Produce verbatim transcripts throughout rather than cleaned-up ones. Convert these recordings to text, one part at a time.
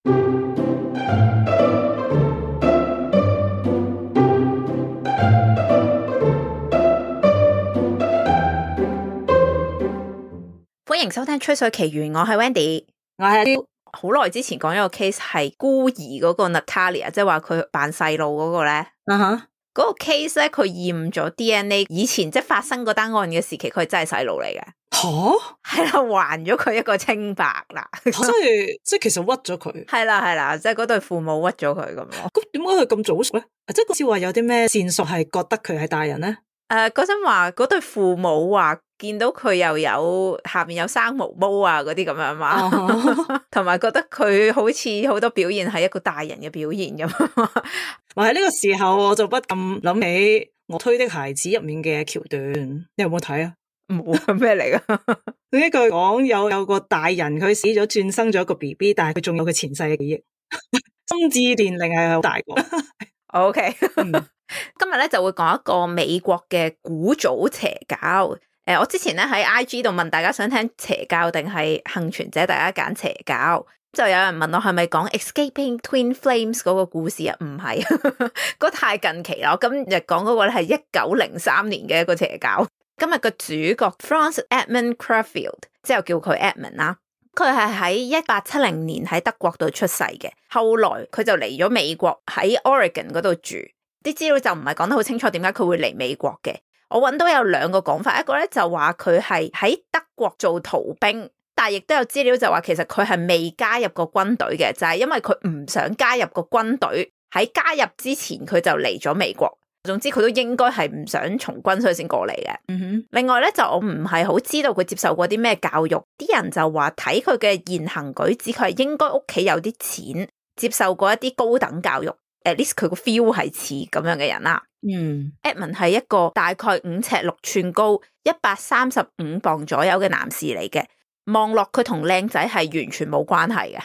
歡迎收聽《吹水奇緣》，我係 Wendy， 我係好耐之前講咗個 case 係孤兒嗰個 Natalia， 即係話佢扮細路嗰個咧，啊哈，嗰個 case 咧佢驗咗 D N A， 以前即係發生嗰單案嘅時期，佢係真係細路嚟嘅。吓，係啦，還咗佢一個清白啦，即係即係其實屈咗佢，係啦係啦，即係嗰對父母屈咗佢咁咯。咁點解佢咁早熟咧？即係好似話有啲咩線索係覺得佢係大人咧？誒，嗰陣話嗰對父母話見到佢又有下面有生毛毛啊嗰啲咁樣嘛，同埋、uh huh. 覺得佢好似好多表現係一個大人嘅表現咁。話喺呢個時候我就不禁諗起我推的孩子入面嘅橋段，你有冇睇啊？冇啊，咩嚟噶？呢句講有有個大人佢死咗轉生咗一個 B B， 但係佢仲有佢前世嘅記憶，心智年齡係好大個。O K， 今日咧就會講一個美國嘅古早邪教。誒、呃，我之前咧喺 I G 度問大家想聽邪教定係幸存者，大家揀邪教。就有人問我係咪講 Escaping Twin Flames 嗰個故事啊？唔係，嗰太近期啦。我今日講嗰個咧係一九零三年嘅一個邪教。今日個主角 Franz Edmund Crefeld， 之後叫佢 Edmund 啦。佢係喺一八七零年喺德國度出世嘅，後來佢就嚟咗美國喺 Oregon 嗰度住。啲資料就唔係講得好清楚點解佢會嚟美國嘅。我揾到有兩個講法，一個咧就話佢係喺德國做逃兵，但係亦都有資料就話其實佢係未加入過軍隊嘅，就係因為佢唔想加入個軍隊，喺加入之前佢就嚟咗美國。總之佢都應該係唔想從軍，所以先過嚟嘅。嗯哼。另外咧就我唔係好知道佢接受過啲咩教育，啲人就話睇佢嘅言行舉止，佢係應該屋企有啲錢，接受過一啲高等教育。At least 佢個 feel 係似咁樣嘅人啦。嗯 Edmund 係一個大概五尺六寸高、一百三十五磅左右嘅男士嚟嘅。望落佢同靚仔係完全冇關係嘅，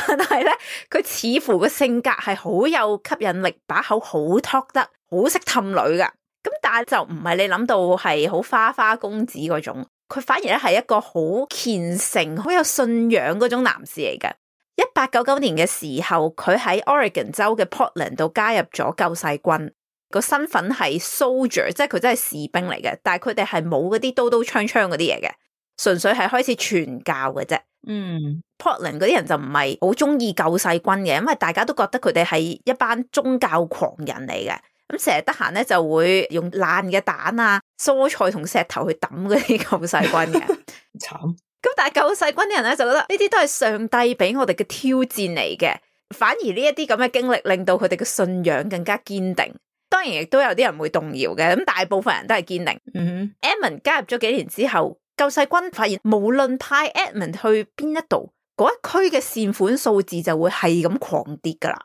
但係咧佢似乎個性格係好有吸引力，把口好 talk 得，好識氹女噶。咁但係就唔係你諗到係好花花公子嗰種，佢反而咧係一個好虔誠、好有信仰嗰種男士嚟嘅。一八九九年嘅時候，佢喺 Oregon 州嘅 Portland 度加入咗救世軍，個身份係 soldier， 即係佢真係士兵嚟嘅，但係佢哋係冇嗰啲刀刀槍槍嗰啲嘢嘅。純粹係開始傳教嘅啫。嗯 Portland 嗰啲人就唔係好中意救世軍嘅，因為大家都覺得佢哋係一班宗教狂人嚟嘅。咁成日得閒咧就會用爛嘅蛋啊、蔬菜同石頭去抌嗰啲救世軍嘅。慘。咁但係救世軍啲人咧就覺得呢啲都係上帝俾我哋嘅挑戰嚟嘅，反而呢一啲咁嘅經歷令到佢哋嘅信仰更加堅定。當然亦都有啲人會動搖嘅，咁大部分人都係堅定。嗯哼。Edmund 加入咗幾年之後，救世軍發現無論派 Edmund 去邊一度，嗰一區嘅善款數字就會係咁狂跌噶啦。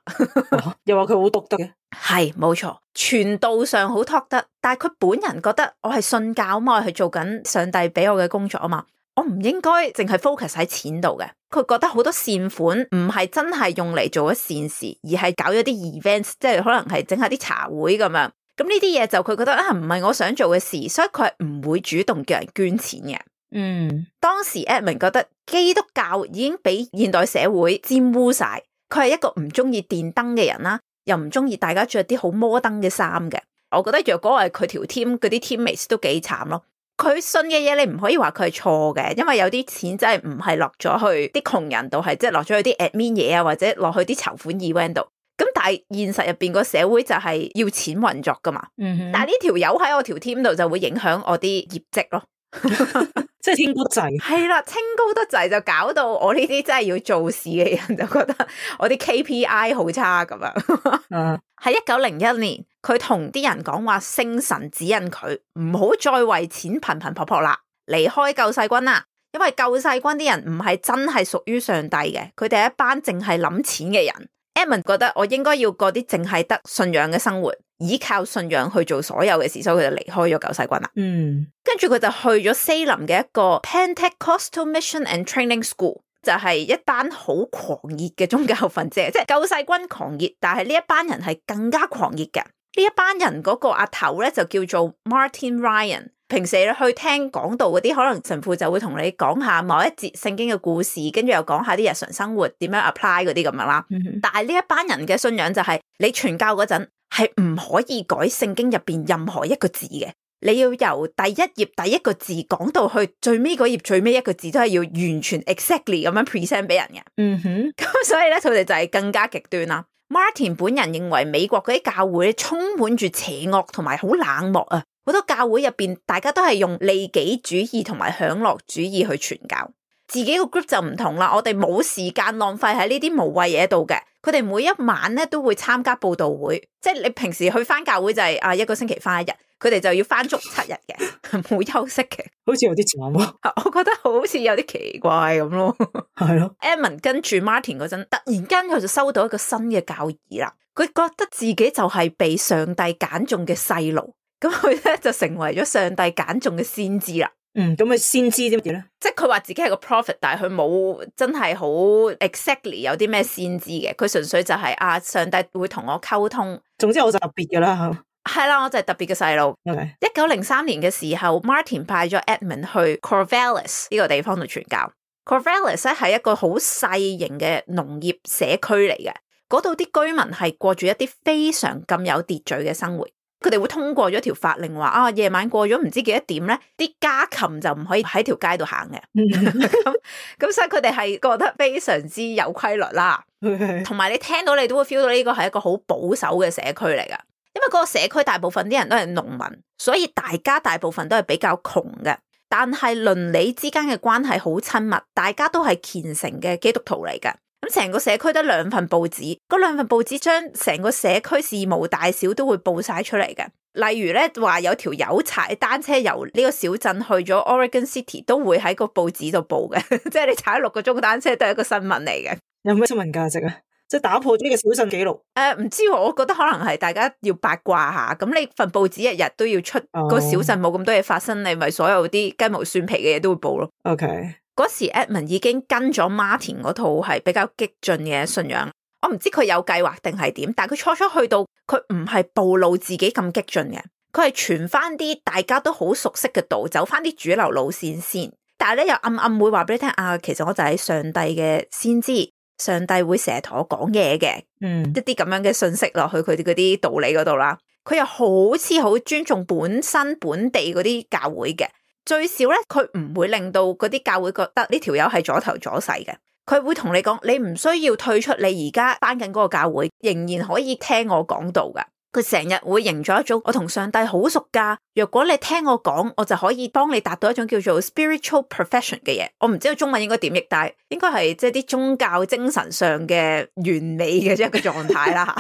又話佢好篤得嘅，係冇錯，傳道上好托得，但係佢本人覺得我係信教嘛，我係做緊上帝俾我嘅工作啊嘛，我唔應該淨係 focus 喺錢度嘅。佢覺得好多善款唔係真係用嚟做咗善事，而係搞咗啲 events， 即係可能係整下啲茶會咁樣。咁呢啲嘢就佢覺得啊，唔係我想做嘅事，所以佢係唔會主動叫人捐錢嘅。嗯，當時 Edmund 覺得基督教已經俾現代社會沾污晒，佢係一個唔中意電燈嘅人啦，又唔中意大家着啲好摩登嘅衫嘅。我覺得若果係佢條 team 嗰啲 teammates 都幾慘咯。佢信嘅嘢你唔可以話佢係錯嘅，因為有啲錢真係唔係落咗去啲窮人度，係即係落咗去啲 admin 嘢啊，或者落去啲籌款 event 度。咁但係現實入邊個社會就係要錢運作噶嘛，嗯哼，但係呢條友喺我條 team 度就會影響我啲業績咯，即係天高得滯，係啦，清高得滯就搞到我呢啲真係要做事嘅人就覺得我啲 K P I 好差咁樣。喺一九零一年，佢同啲人講話聖神指引佢唔好再為錢頻頻撲撲啦，離開救世軍啦，因為救世軍啲人唔係真係屬於上帝嘅，佢哋係一班淨係諗錢嘅人。Edmund 覺得我應該要過啲淨係得信仰嘅生活，依靠信仰去做所有嘅事，所以佢就離開咗救世軍啦。嗯，跟住佢就去咗西林嘅一個 Pentecostal Mission and Training School， 就係一班好狂熱嘅宗教分子，即係救世軍狂熱，但係呢一班人係更加狂熱嘅。呢一班人嗰個阿頭咧就叫做 Martin Ryan，平時你去聽講道嗰啲，可能神父就會同你講下某一節聖經嘅故事，跟住又講下啲日常生活點樣 apply 嗰啲咁樣啦。嗯、但係呢一班人嘅信仰就係、是、你傳教嗰陣係唔可以改聖經入邊任何一個字嘅，你要由第一頁第一個字講到去最尾嗰頁最尾一個字，都係要完全 exactly 咁樣 present 俾人嘅。嗯哼，咁所以咧，佢哋就係更加極端啦。Martin 本人認為美國嗰啲教會充滿住邪惡同埋好冷漠啊，好多教會入邊大家都係用利己主義同埋享樂主義去傳教，自己個 group 就唔同啦。我哋冇時間浪費喺呢啲無謂嘢度嘅，佢哋每一晚咧都會參加佈道會，即係你平時去翻教會就係、是、啊一個星期翻一日，佢哋就要翻足七日嘅，冇休息嘅，好似有啲慘啊！我覺得好似有啲奇怪咁咯。係咯 Edmund 跟住 Martin 嗰陣，突然間佢就收到一個新嘅教義啦。佢覺得自己就係被上帝揀中嘅細路，咁佢咧就成為咗上帝揀中嘅先知啦。嗯，咁佢先知啲乜嘢咧？即係佢話自己係個 prophet，但係佢冇真係好 exactly 有啲咩先知嘅。佢純粹就係、是、啊，上帝會同我溝通。總之我就特別噶啦吓。係啦，我就係特別嘅細路。一九零三年嘅時候 ，Martin 派咗 Edmund 去 Corvallis 呢個地方度傳教。Corvallis 咧係一個好細型嘅農業社區嚟嘅，嗰度啲居民係過住一啲非常咁有秩序嘅生活。佢哋會通過咗條法令話啊，夜晚過咗唔知幾多點咧，啲家禽就唔可以喺條街度行嘅。咁咁所以佢哋係覺得非常之有規律啦。同埋你聽到你都會 feel 到呢個係一個好保守嘅社區嚟噶，因為嗰個社區大部分啲人都係農民，所以大家大部分都係比較窮嘅。但係鄰里之間嘅關係好親密，大家都係虔誠嘅基督徒嚟嘅。咁成個社區得兩份報紙，嗰兩份報紙將成個社區事務大小都會報晒出嚟嘅。例如咧話有條友踩單車由呢個小鎮去咗 Oregon City， 都會喺個報紙度報嘅，即係你踩六個鐘單車都係一個新聞嚟嘅。有咩新聞價值啊？即係打破咗呢個小鎮紀錄。誒、呃，唔知喎，我覺得可能係大家要八卦下。咁你份報紙日日都要出，哦、個小鎮冇咁多嘢發生，你咪所有啲雞毛蒜皮嘅嘢都會報咯。OK。嗰時 Edmund 已經跟咗 Martin 嗰套係比較激進嘅信仰，我唔知佢有計劃定係點，但係佢初初去到，佢唔係暴露自己咁激進嘅，佢係傳翻啲大家都好熟悉嘅道，走翻啲主流路線先。但係咧又暗暗會話俾你聽啊，其實我就係上帝嘅先知，上帝會成日同我講嘢嘅，嗯，一啲咁樣嘅信息落去佢哋嗰啲道理嗰度啦。佢又好似好尊重本身本地嗰啲教會嘅。最少咧，佢唔會令到嗰啲教會覺得呢條友係左頭左勢嘅。佢會同你講，你唔需要退出你而家返緊嗰個教會，仍然可以聽我講道噶。佢成日會營造一種我同上帝好熟噶，若果你聽我講，我就可以幫你達到一種叫做 spiritual perfection 嘅嘢。我唔知道中文應該點譯，但係應該係即係啲宗教精神上嘅完美嘅一個狀態啦。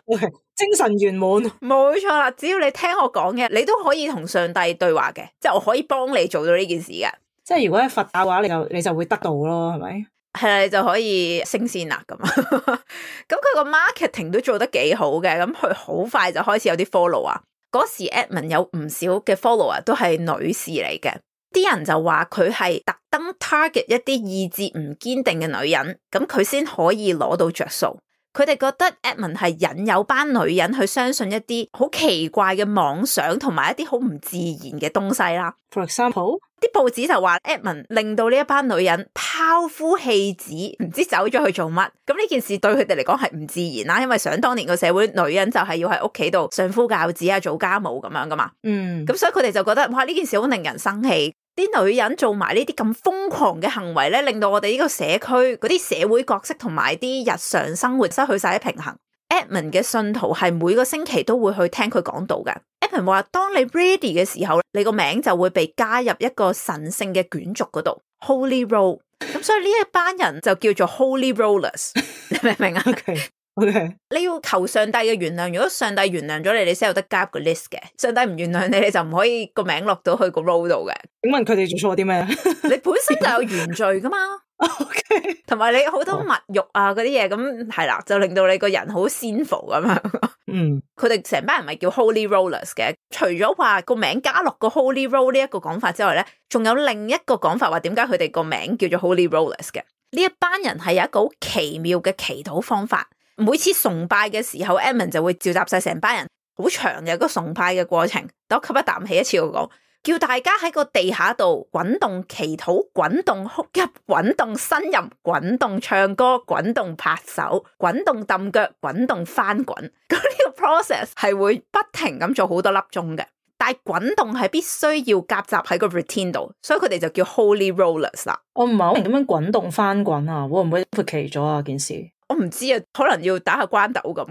okay, 精神圓滿，冇錯啦。只要你聽我講嘅，你都可以同上帝對話嘅，即係我可以幫你做到呢件事嘅。即係如果係佛教嘅話，你就你就會得到咯，係咪？係啦，你就可以升仙啦咁。咁佢個 marketing 都做得幾好嘅，咁佢好快就開始有啲 follow 啊。嗰時 Edmund 有唔少嘅 follower 都係女士嚟嘅，啲人就話佢係特登 target 一啲意志唔堅定嘅女人，咁佢先可以攞到着數。佢哋覺得 Edmund 係引誘班女人去相信一啲好奇怪嘅妄想同埋一啲好唔自然嘅東西啦。For example，啲報紙就話 Edmund 令到呢一班女人拋夫棄子，唔知走咗去做乜。咁呢件事對佢哋嚟講係唔自然啦，因為想當年個社會女人就係要喺屋企度相夫教子啊，做家務咁樣噶嘛。嗯，咁所以佢哋就覺得哇，呢件事好令人生氣。啲女人做埋呢啲咁瘋狂嘅行為咧，令到我哋呢個社區嗰啲社會角色同埋啲日常生活失去晒啲平衡。Edmund 嘅信徒係每個星期都會去聽佢講道嘅。Edmund 話：當你 ready 嘅時候，你個名就會被加入一個神聖嘅卷軸嗰度 ，Holy Roll。咁所以呢一班人就叫做 Holy Rollers， 你明唔明啊？ Okay. Okay. 你要求上帝嘅原諒，如果上帝原諒咗你，你先有得加入個 list 嘅。上帝唔原諒你，你就唔可以個名落到去個 roll 度嘅。請問佢哋做錯啲咩？你本身就有原罪噶嘛？OK， 同埋你好多物欲啊嗰啲嘢，咁係啦，就令到你個人好 sinful 咁樣。嗯，佢哋成班人咪叫 Holy Rollers 嘅。除咗話個名加落個 Holy Roll 呢一個講法之外咧，仲有另一個講法話點解佢哋個名叫做 Holy Rollers 嘅？呢一班人係有一個好奇妙嘅祈禱方法。每次崇拜嘅時候 Edmund 就會召集晒成班人，好長嘅一個崇拜嘅過程。等我吸一啖氣，一次我講，叫大家喺個地下度滾動祈禱、滾動哭泣、滾動呻吟、滾動唱歌、滾動拍手、滾動揼腳、滾動翻滾。咁呢個 process 係會不停咁做好多粒鐘嘅，但係滾動係必須要夾雜喺個 routine 度，所以佢哋就叫 Holy Rollers 啦。我唔係好明點樣滾動翻滾啊，會唔會復期咗啊件事？我唔知啊，可能要打下關斗咁。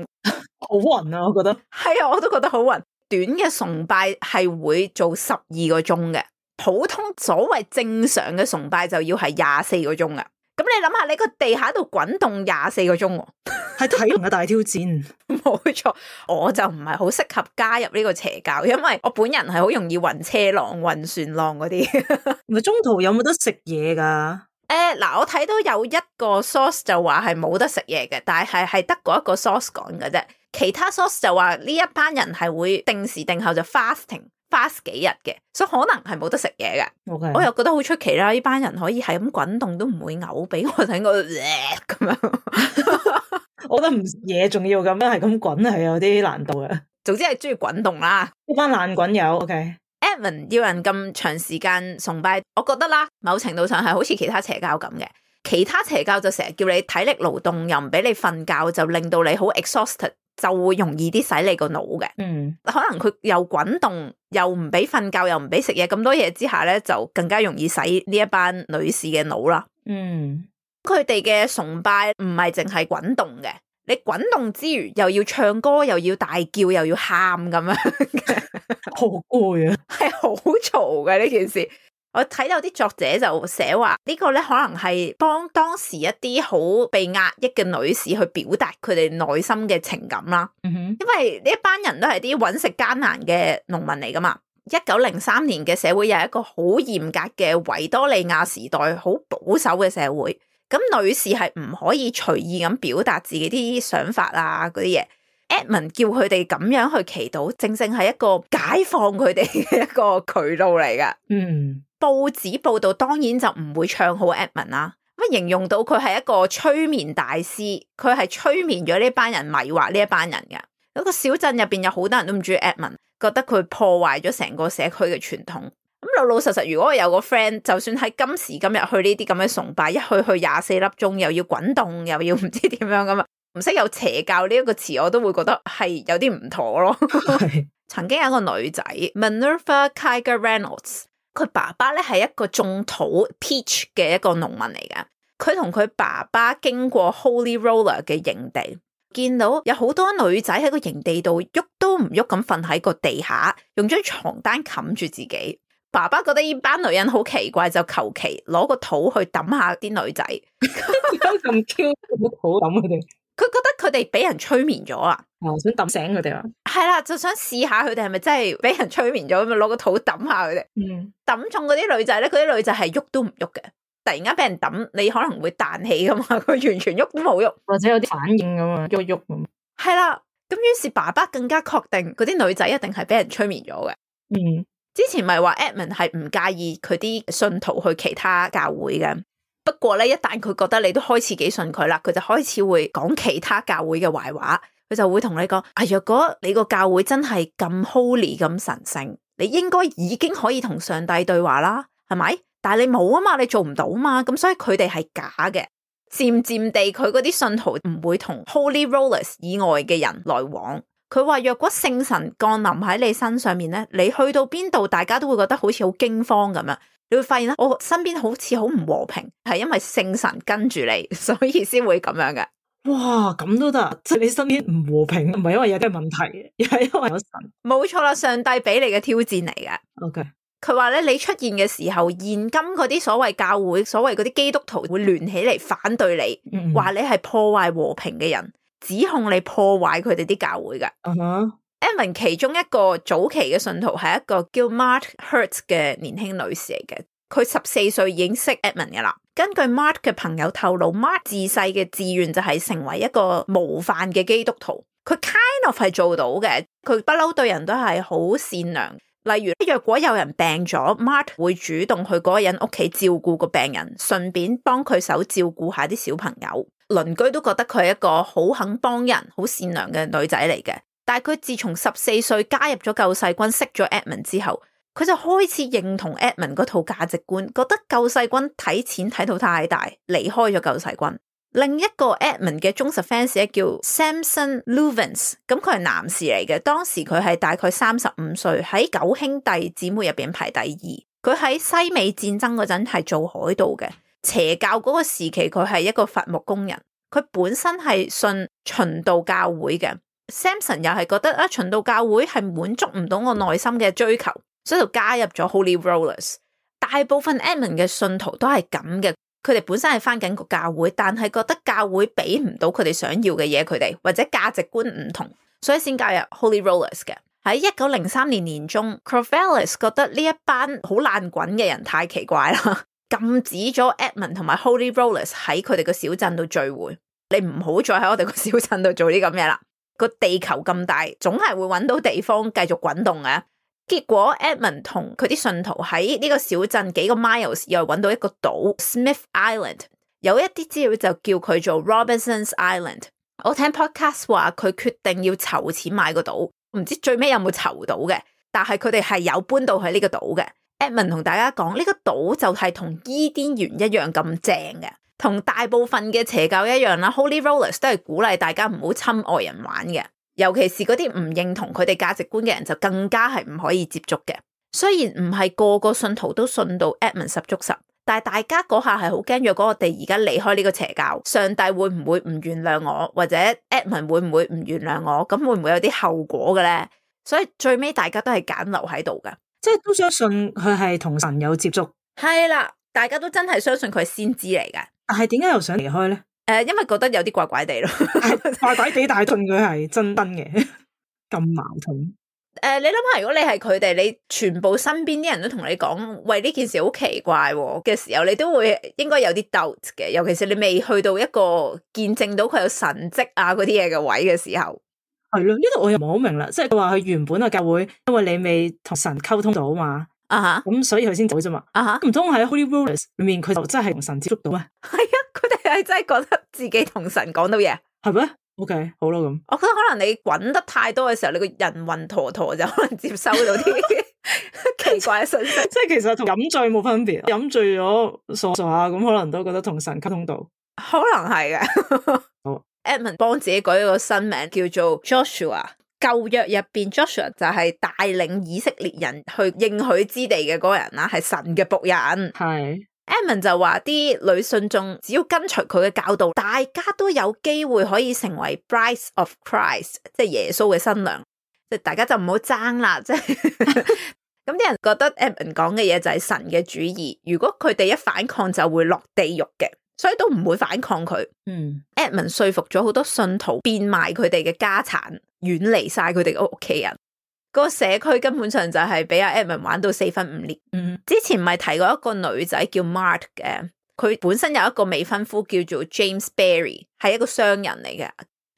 好暈啊，我覺得。係啊，我都覺得好暈。短嘅崇拜係會做十二個鐘嘅，普通所謂正常嘅崇拜就要係廿四個鐘啊。咁你諗下，你個地下度滾動廿四個鐘，係體能嘅大挑戰。冇錯，我就唔係好適合加入呢個邪教，因為我本人係好容易暈車浪、暈船浪嗰啲。唔係中途有冇得食嘢噶？誒，嗱，我睇到有一個 source 就話係冇得食嘢嘅，但係係得嗰一個 source 講嘅啫。其他 source 就話呢一班人係會定時定候就 fasting fast 幾日嘅，所以可能係冇得食嘢嘅。Okay. 我又覺得好出奇啦，呢班人可以係咁滾動都唔會嘔，俾我睇我咁樣。我覺得唔食嘢仲要咁樣係咁滾係有啲難度嘅。總之係中意滾動啦，呢班爛滾友。OK。Edmund 要人咁長時間崇拜，我覺得啦，某程度上係好似其他邪教咁嘅。其他邪教就成日叫你體力勞動，又唔俾你瞓覺，就令到你好 exhausted， 就會容易啲洗你個腦嘅。嗯，可能佢又滾動，又唔俾瞓覺，又唔俾食嘢，咁多嘢之下咧，就更加容易洗呢一班女士嘅腦啦。嗯，佢哋嘅崇拜唔係淨係滾動嘅，你滾動之餘又要唱歌，又要大叫，又要喊咁樣嘅，好攰啊，係好嘈嘅呢件事。我睇到啲作者就寫話呢個咧可能係幫當時一啲好被壓抑嘅女士去表達佢哋內心嘅情感啦。嗯哼，因為呢一班人都係啲揾食艱難嘅農民嚟噶嘛。一九零三年嘅社會又係一個好嚴格嘅維多利亞時代，好保守嘅社會。咁女士係唔可以隨意咁表達自己啲想法啊嗰啲嘢。Edmund 叫佢哋咁樣去祈禱，正正係一個解放佢哋嘅一個渠道嚟噶。嗯。報紙報道當然就唔會唱好 Edmund 啦，咁形容到佢係一個催眠大師，佢係催眠咗呢班人，迷惑呢一班人嘅。嗰個小鎮入邊有好多人都唔中意 Edmund，覺得佢破壞咗成個社區嘅傳統。咁老老實實，如果我有個 friend，就算喺今時今日去呢啲咁嘅崇拜，一去去廿四粒鐘，又要滾動，又要唔知點樣咁啊，唔識有邪教呢一個詞，我都會覺得係有啲唔妥咯。曾經有一個女仔 Minerva Kiger Reynolds。佢爸爸咧係一個種土 peach 嘅一個農民嚟噶，佢同佢爸爸經過 Holy Roller 嘅營地，見到有好多女仔喺個營地度喐都唔喐咁瞓喺個地下，用張床單冚住自己。爸爸覺得呢班女人好奇怪，就求其攞個土去抌下啲女仔。咁 Q 個土抌佢哋，佢覺得佢哋俾人催眠咗啊！哦，想抌醒佢哋啊！係啦，就想試下佢哋係咪真係俾人催眠咗，咁咪攞個土抌下佢哋。嗯，抌中嗰啲女仔咧，嗰啲女仔係喐都唔喐嘅。突然間俾人抌，你可能會彈起噶嘛，佢完全喐都冇喐，或者有啲反應咁啊，喐喐咁。係啦，咁於是爸爸更加確定嗰啲女仔一定係俾人催眠咗嘅。嗯，之前咪話 Edmund 係唔介意佢啲信徒去其他教會嘅，不過咧一旦佢覺得你都開始幾信佢啦，佢就開始會講其他教會嘅壞話。佢就會同你講，啊，若果你個教會真係咁 holy 咁神聖，你應該已經可以同上帝對話啦，係咪？但係你冇啊嘛，你做唔到嘛，咁所以佢哋係假嘅。漸漸地，佢嗰啲信徒唔會同 Holy Rollers 以外嘅人來往。佢話若果聖神降臨喺你身上面咧，你去到邊度，大家都會覺得好似好驚慌咁樣。你會發現咧，我身邊好似好唔和平，係因為聖神跟住你，所以先會咁樣嘅。哇，咁都得，即係你身邊唔和平，唔係因為有啲問題，而係因為有神。冇錯啦，上帝俾你嘅挑戰嚟嘅。OK，佢話咧，你出現嘅時候，現今嗰啲所謂教會、所謂嗰啲基督徒會聯起嚟反對你，話、嗯、你係破壞和平嘅人，指控你破壞佢哋啲教會嘅。嗯哼 Edmund 其中一個早期嘅信徒係一個叫 Mark Hertz 嘅年輕女士嚟嘅。佢十四歲已經識 Edmund 嘅啦。根據 Mark 嘅朋友透露 ，Mark 自細嘅志願就係成為一個模範嘅基督徒。佢 kind of 係做到嘅，佢不嬲對人都係好善良。例如，若果有人病咗 ，Mark 會主動去嗰個人屋企照顧個病人，順便幫佢手照顧下啲小朋友。鄰居都覺得佢係一個好肯幫人、好善良嘅女仔嚟嘅。但係佢自從十四歲加入咗救世軍，識咗 Edmund 之後，佢就開始認同 Edmund 嗰套價值觀，覺得救世軍睇錢睇到太大，離開咗救世軍。另一個 Edmund 嘅忠實 fans 咧叫 Samson Luvens， 咁佢係男士嚟嘅，當時佢係大概三十五歲，喺九兄弟姊妹入邊排第二。佢喺西美戰爭嗰陣係做海盜嘅，邪教嗰個時期佢係一個伐木工人。佢本身係信循道教會嘅。Samson 又係覺得啊，循道教會係滿足唔到我內心嘅追求，所以就加入咗 Holy Rollers。大部分 Edmund 嘅信徒都係咁嘅。佢哋本身係返緊個教會，但係覺得教會俾唔到佢哋想要嘅嘢，佢哋或者價值觀唔同，所以先加入 Holy Rollers 嘅。喺一九零三年年中 Corvallis 覺得呢一班好爛滾嘅人太奇怪啦，禁止咗 Edmund 同埋 Holy Rollers 喺佢哋個小鎮度聚會。你唔好再喺我哋個小鎮度做啲咁嘢啦。個地球咁大，總係會揾到地方繼續滾動嘅。結果 Edmund 同佢啲信徒喺呢個小鎮幾個 miles 又揾到一個島 Smith Island， 有一啲資料就叫佢做 Robinson's Island。 我聽 podcast 話佢決定要籌錢買個島，唔知最尾有冇籌到嘅，但係佢哋係有搬到去呢個島嘅。 Edmund 同大家講呢個島就係同伊甸園一樣咁正嘅，同大部分嘅邪教一樣啦。 Holy Rollers 都係鼓勵大家唔好侵外人玩嘅，尤其是嗰啲唔認同佢哋價值觀嘅人就更加係唔可以接觸嘅。雖然唔係個個信徒都信到 Edmund 十足十，但係大家嗰下係好驚，若果我哋而家離開呢個邪教，上帝會唔會唔原諒我，或者 Edmund 會唔會唔原諒我，咁會唔會有啲後果嘅咧？所以最尾大家都係揀留喺度噶，即係都相信佢係同神有接觸。係啦，大家都真係相信佢係先知嚟嘅。但係點解又想離開咧？誒、呃，因為覺得有啲怪怪地咯，怪怪地，但係信佢係真真嘅，咁矛盾。誒、呃，你諗下，如果你係佢哋，你全部身邊啲人都同你講，喂，呢件事好奇怪嘅時候，你都會應該有啲 doubt 嘅，尤其是你未去到一個見證到佢有神蹟啊嗰啲嘢嘅位嘅時候。係咯，呢度我又唔係好明啦，即係佢話佢原本嘅教會，因為你未同神溝通到嘛，啊哈，咁所以佢先走啫嘛，啊哈，唔通喺 Holy Rollers 裏面佢就真係同神接觸到咩？係啊，佢哋係真係覺得自己同神講到嘢，係咩 ？OK， 好啦咁。我覺得可能你滾得太多嘅時候，你個人暈陀陀就可能接收到啲奇怪嘅信息。即係其實同飲醉冇分別，飲醉咗傻傻下咁，可能都覺得同神溝通到，可能係嘅。好。Edmund 幫自己改一個新名叫做 Joshua， 舊約入邊 Joshua 就係帶領以色列人去應許之地嘅嗰個人啦，係神嘅僕人。係 Edmund 就話啲女信眾只要跟隨佢嘅教導，大家都有機會可以成為 Brides of Christ， 即係耶穌嘅新娘，即係大家就唔好爭啦。即係咁啲人覺得 Edmund 講嘅嘢就係神嘅主意，如果佢哋一反抗就會落地獄嘅。所以都唔會反抗佢。嗯 Edmund 說服咗好多信徒變賣佢哋嘅家產，遠離晒佢哋嘅屋企人。個社區根本上就係俾阿 Edmund 玩到四分五裂。嗯，之前咪提過一個女仔叫 Mart 嘅，佢本身有一個未婚夫叫做 James Barry， 係一個商人嚟嘅。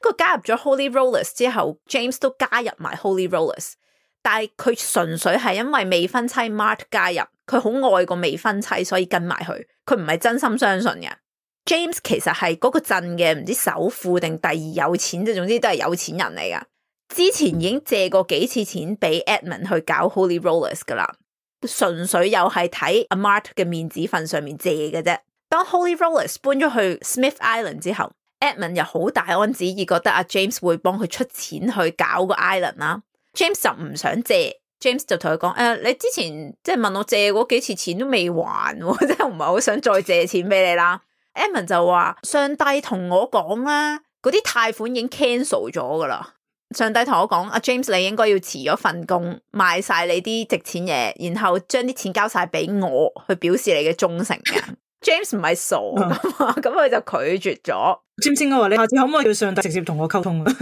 佢加入咗 Holy Rollers 之後 ，James 都加入埋 Holy Rollers， 但係佢純粹係因為未婚妻 Mart 加入，佢好愛個未婚妻，所以跟埋佢。佢唔係真心相信嘅。James 其實係嗰個鎮嘅唔知首富定第二有錢，即係總之都係有錢人嚟噶。之前已經借過幾次錢俾 Edmund 去搞 Holy Rollers 噶啦，純粹又係睇阿 Mart 嘅面子份上面借嘅啫。當 Holy Rollers 搬咗去 Smith Island 之後， Edmund 又好大安旨意，覺得阿 James 會幫佢出錢去搞個 island 啦。James 就唔想借。James 就同佢講，誒、呃，你之前即係問我借嗰幾次錢都未還，即係唔係好想再借錢俾你啦。Edmund 就話上帝同我講啦，嗰啲貸款已經 cancel 咗噶啦。上帝同我講，阿 James 你應該要辭咗份工，賣晒你啲值錢嘢，然後將啲錢交晒俾我，去表示你嘅忠誠嘅。James 唔係傻噶嘛，咁佢就拒絕咗。James 應該話你下次可唔可以叫上帝直接同我溝通啊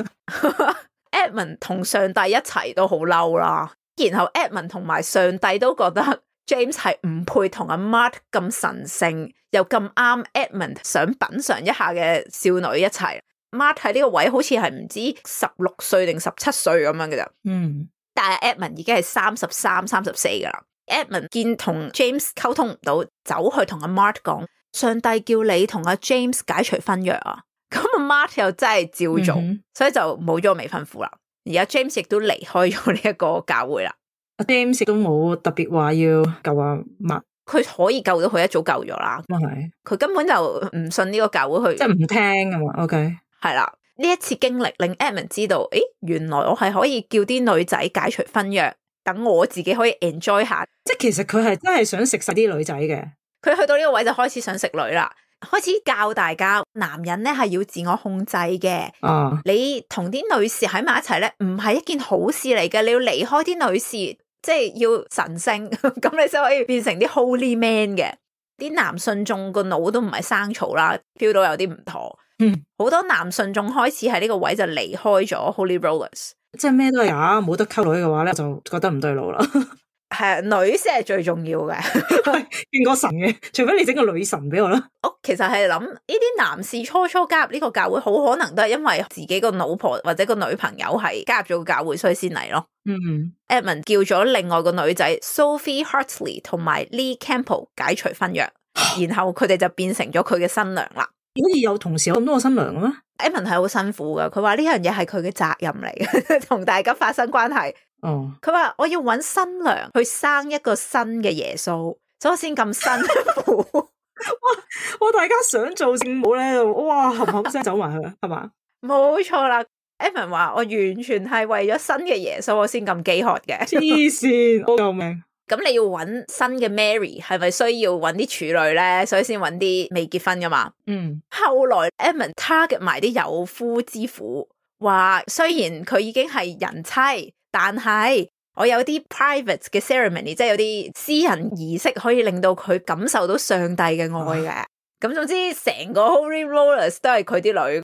？Edmund 同上帝一齊都好嬲啦，然後 Edmund 同埋上帝都覺得 James 係唔配同阿 Mart 咁神聖又咁啱 Edmund 想品嘗一下嘅少女一齊。Mart 喺呢個位好似係唔知十六歲定十七歲咁樣嘅咋。嗯，但係 Edmund 已經係三十三、三十四噶啦。Edmund 見同 James 溝通唔到，走去同阿 Mart 講，上帝叫你同阿 James 解除婚約啊。咁阿 Mart 又真係照做，嗯、所以就冇咗個未婚夫啦。而家 James 亦都離開咗呢一個教會啦。阿 James 都冇特別話要救阿 Mark，佢可以救到佢一早救咗啦。咁係，佢根本就唔信呢個教會去，即係唔聽啊嘛。OK，係啦，呢一次經歷令 Edmund 知道，誒，原來我係可以叫啲女仔解除婚約，等我自己可以 enjoy 下。即係其實佢係真係想食晒啲女仔嘅。佢去到呢個位就開始想食女啦。開始教大家，男人咧係要自我控制嘅。啊，你同啲女士喺埋一齊咧，唔係一件好事嚟嘅。你要離開啲女士，即係要神聖，咁你先可以變成啲 holy man 嘅。啲男信眾個腦都唔係生草啦，feel 到有啲唔妥。嗯，好多男信眾開始喺呢個位就離開咗 Holy Rollers，即係咩都係假，冇得溝女嘅話咧，就覺得唔對路啦。係女先係最重要嘅，見過神嘅，除非你整個女神俾我啦。我其實係諗呢啲男士初初加入呢個教會，好可能都係因為自己個老婆或者個女朋友係加入咗個教會，所以先嚟咯。嗯 Edmund 叫咗另外個女仔 Sophie Hartley 同埋 Lee Campbell 解除婚約，然後佢哋就變成咗佢嘅新娘啦。好似有同時有咁多個新娘嘅咩？ Edmund 係好辛苦噶，佢話呢樣嘢係佢嘅責任嚟嘅，同大家發生關係。哦，佢話我要揾新娘去生一個新嘅耶穌，所以我先咁辛苦。哇！我大家想做聖母咧，哇，冚冚聲走埋去，係嘛？冇錯啦。Edmund 話我完全係為咗新嘅耶穌，我先咁飢渴嘅。黐線，救命！咁你要揾新嘅 Mary， 係咪需要揾啲處女咧？所以先揾啲未結婚噶嘛？嗯。後來 Edmund target 埋啲有夫之婦，話雖然佢已經係人妻，但係我有啲 private 嘅 ceremony， 即係有啲私人儀式可以令到佢感受到上帝嘅愛嘅。咁、啊、總之成個 Holy Rollers 都係佢啲女。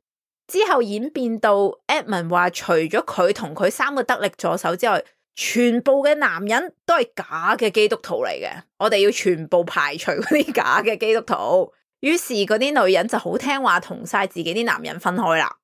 之後演變到 Edmund 話，除咗佢同佢三個得力助手之外，全部嘅男人都係假嘅基督徒嚟嘅。我哋要全部排除嗰啲假嘅基督徒。於是嗰啲女人就好聽話，同晒自己啲男人分開啦。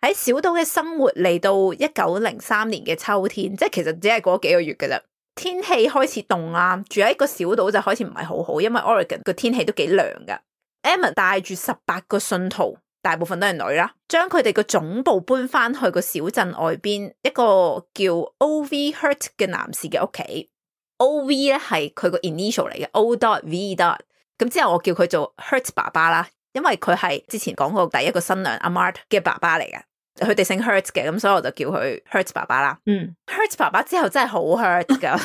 喺小島嘅生活嚟到一九零三年嘅秋天，即係其實只係過幾個月嘅啫。天氣開始凍啦，住喺個小島就開始唔係好好，因為 Oregon 個天氣都幾涼噶。Edmund 帶住十八個信徒，大部分都係女啦，將佢哋個總部搬翻去個小鎮外邊一個叫 O V Hurt 嘅男士嘅屋企。O V 咧係佢個 initial 嚟嘅 O dot V dot， 咁之後我叫佢做 Hurt 爸爸啦，因為佢係之前講過第一個新娘阿 Mart 嘅爸爸嚟嘅，佢哋姓 Hurt 嘅，咁所以我就叫佢 Hurt 爸爸啦。嗯 Hurt 爸爸之後真係好 hurt 噶，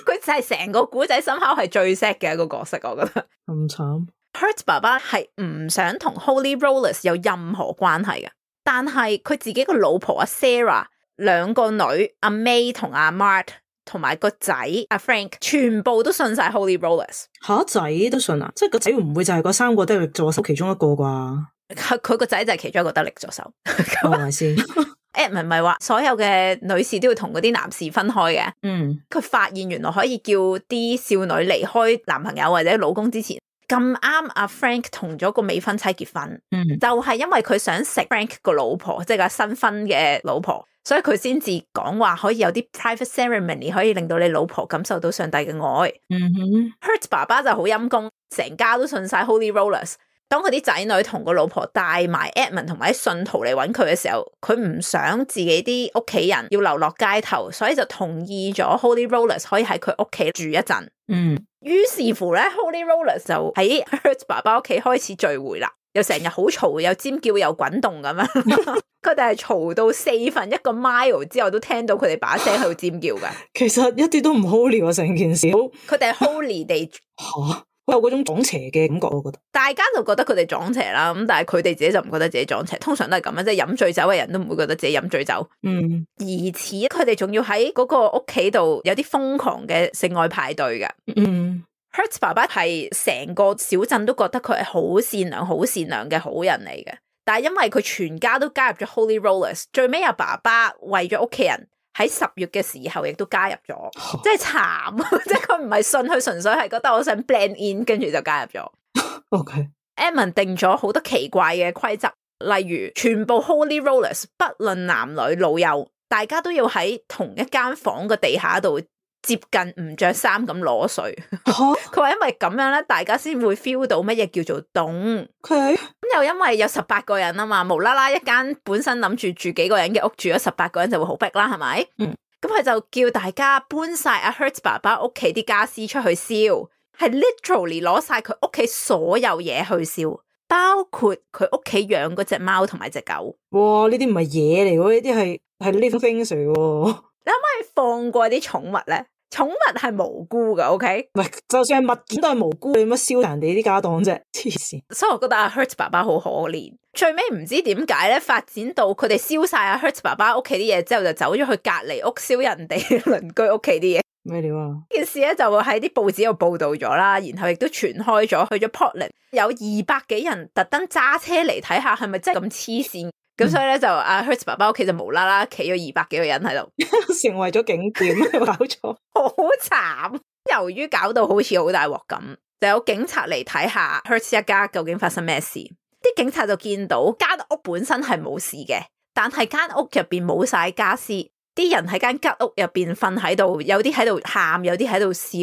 佢就係成個古仔深刻係最 sad 嘅一個角色，我覺得咁慘。Hurt 爸爸係唔想同 Holy Rollers 有任何關係嘅，但係佢自己個老婆阿 Sarah， 兩個女阿 May 同阿 Mart 同埋個仔阿 Frank 全部都信晒 Holy Rollers。吓，仔都信啊？即係個仔會唔會就係嗰三個得力助手其中一個啩？佢個仔就係其中一個得力助手。係咪先？Edmund 咪話所有嘅女士都要同嗰啲男士分開嘅。嗯，佢發現原來可以叫啲少女離開男朋友或者老公之前。咁啱阿 Frank 同咗個未婚妻結婚，嗯、就係因為佢想食 Frank 個老婆，即係個新婚嘅老婆，所以佢先至講話可以有啲 private ceremony 可以令到你老婆感受到上帝嘅愛。嗯哼 Hurt 爸爸就好陰功，成家都信晒 Holy Rollers。當佢啲仔女同個老婆帶埋 Edmund 同埋啲信徒嚟揾佢嘅時候，佢唔想自己啲屋企人要流落街頭，所以就同意咗 Holy Rollers 可以喺佢屋企住一陣。嗯，於是乎咧 Holy Rollers 就喺 Hurt 爸爸屋企開始聚會啦，又成日好嘈，又尖叫又滾動咁樣。佢哋係嘈到四分一個 mile 之後都聽到佢哋把聲喺度尖叫嘅。其實一啲都唔 holy 啊，成件事。佢哋係 holy 地吓。有嗰種撞邪嘅感覺，我覺得大家就覺得佢哋撞邪啦，咁但係佢哋自己就唔覺得自己撞邪，通常都係咁樣，即係飲醉酒嘅人都唔會覺得自己飲醉酒。嗯，疑似佢哋仲要喺嗰個屋企度有啲瘋狂嘅性愛派對嘅。嗯 Hurt 爸爸係成個小鎮都覺得佢係好善良、好善良嘅好人嚟嘅，但係因為佢全家都加入咗 Holy Rollers， 最尾阿爸爸為咗屋企人。喺十月嘅時候，亦都加入咗，即係慘，即係佢唔係信佢，純粹係覺得我想 blend in， 跟住就加入咗。OK，Edmund 定咗好多奇怪嘅規則，例如全部 Holy Rollers 不論男女老幼，大家都要喺同一間房嘅地下度接近唔着衫咁攞水。佢話因為咁樣咧，大家先會 feel 到乜嘢叫做凍。咁 Okay. 又因為有十八個人啊嘛，無啦啦一間本身諗住住幾個人嘅屋，住咗十八個人就會好逼啦，係咪？嗯。咁佢就叫大家搬晒阿 Hertz 爸爸屋企啲家私出去燒，係 literally 攞晒佢屋企所有嘢去燒，包括佢屋企養嗰隻貓同埋隻狗。哇！呢啲唔係嘢嚟喎，呢啲係係 living things 嚟喎。你可唔可以放過啲寵物咧？寵物係無辜噶 ，OK？ 唔係，就算係物件都係無辜，你乜燒人哋啲家當啫？黐線！所以我覺得阿 Hertz 爸爸好可憐。最尾唔知點解咧，發展到佢哋燒晒阿 Hertz 爸爸屋企啲嘢之後，就走咗去隔籬屋燒人哋鄰居屋企啲嘢。咩料啊？件事咧就會喺啲報紙度報道咗啦，然後亦都傳開咗，去咗 Portland， 有二百幾人特登揸車嚟睇下係咪真係咁黐線。咁所以咧就阿 Hertz 爸爸屋企就無啦啦企咗二百幾個人喺度，成為咗景點，搞錯，好慘。由於搞到好似好大鑊咁，就有警察嚟睇下 Hertz 一家究竟發生咩事。啲警察就見到間屋本身係冇事嘅，但係間屋入邊冇晒家私，啲人喺間吉屋入邊瞓喺度，有啲喺度喊，有啲喺度笑，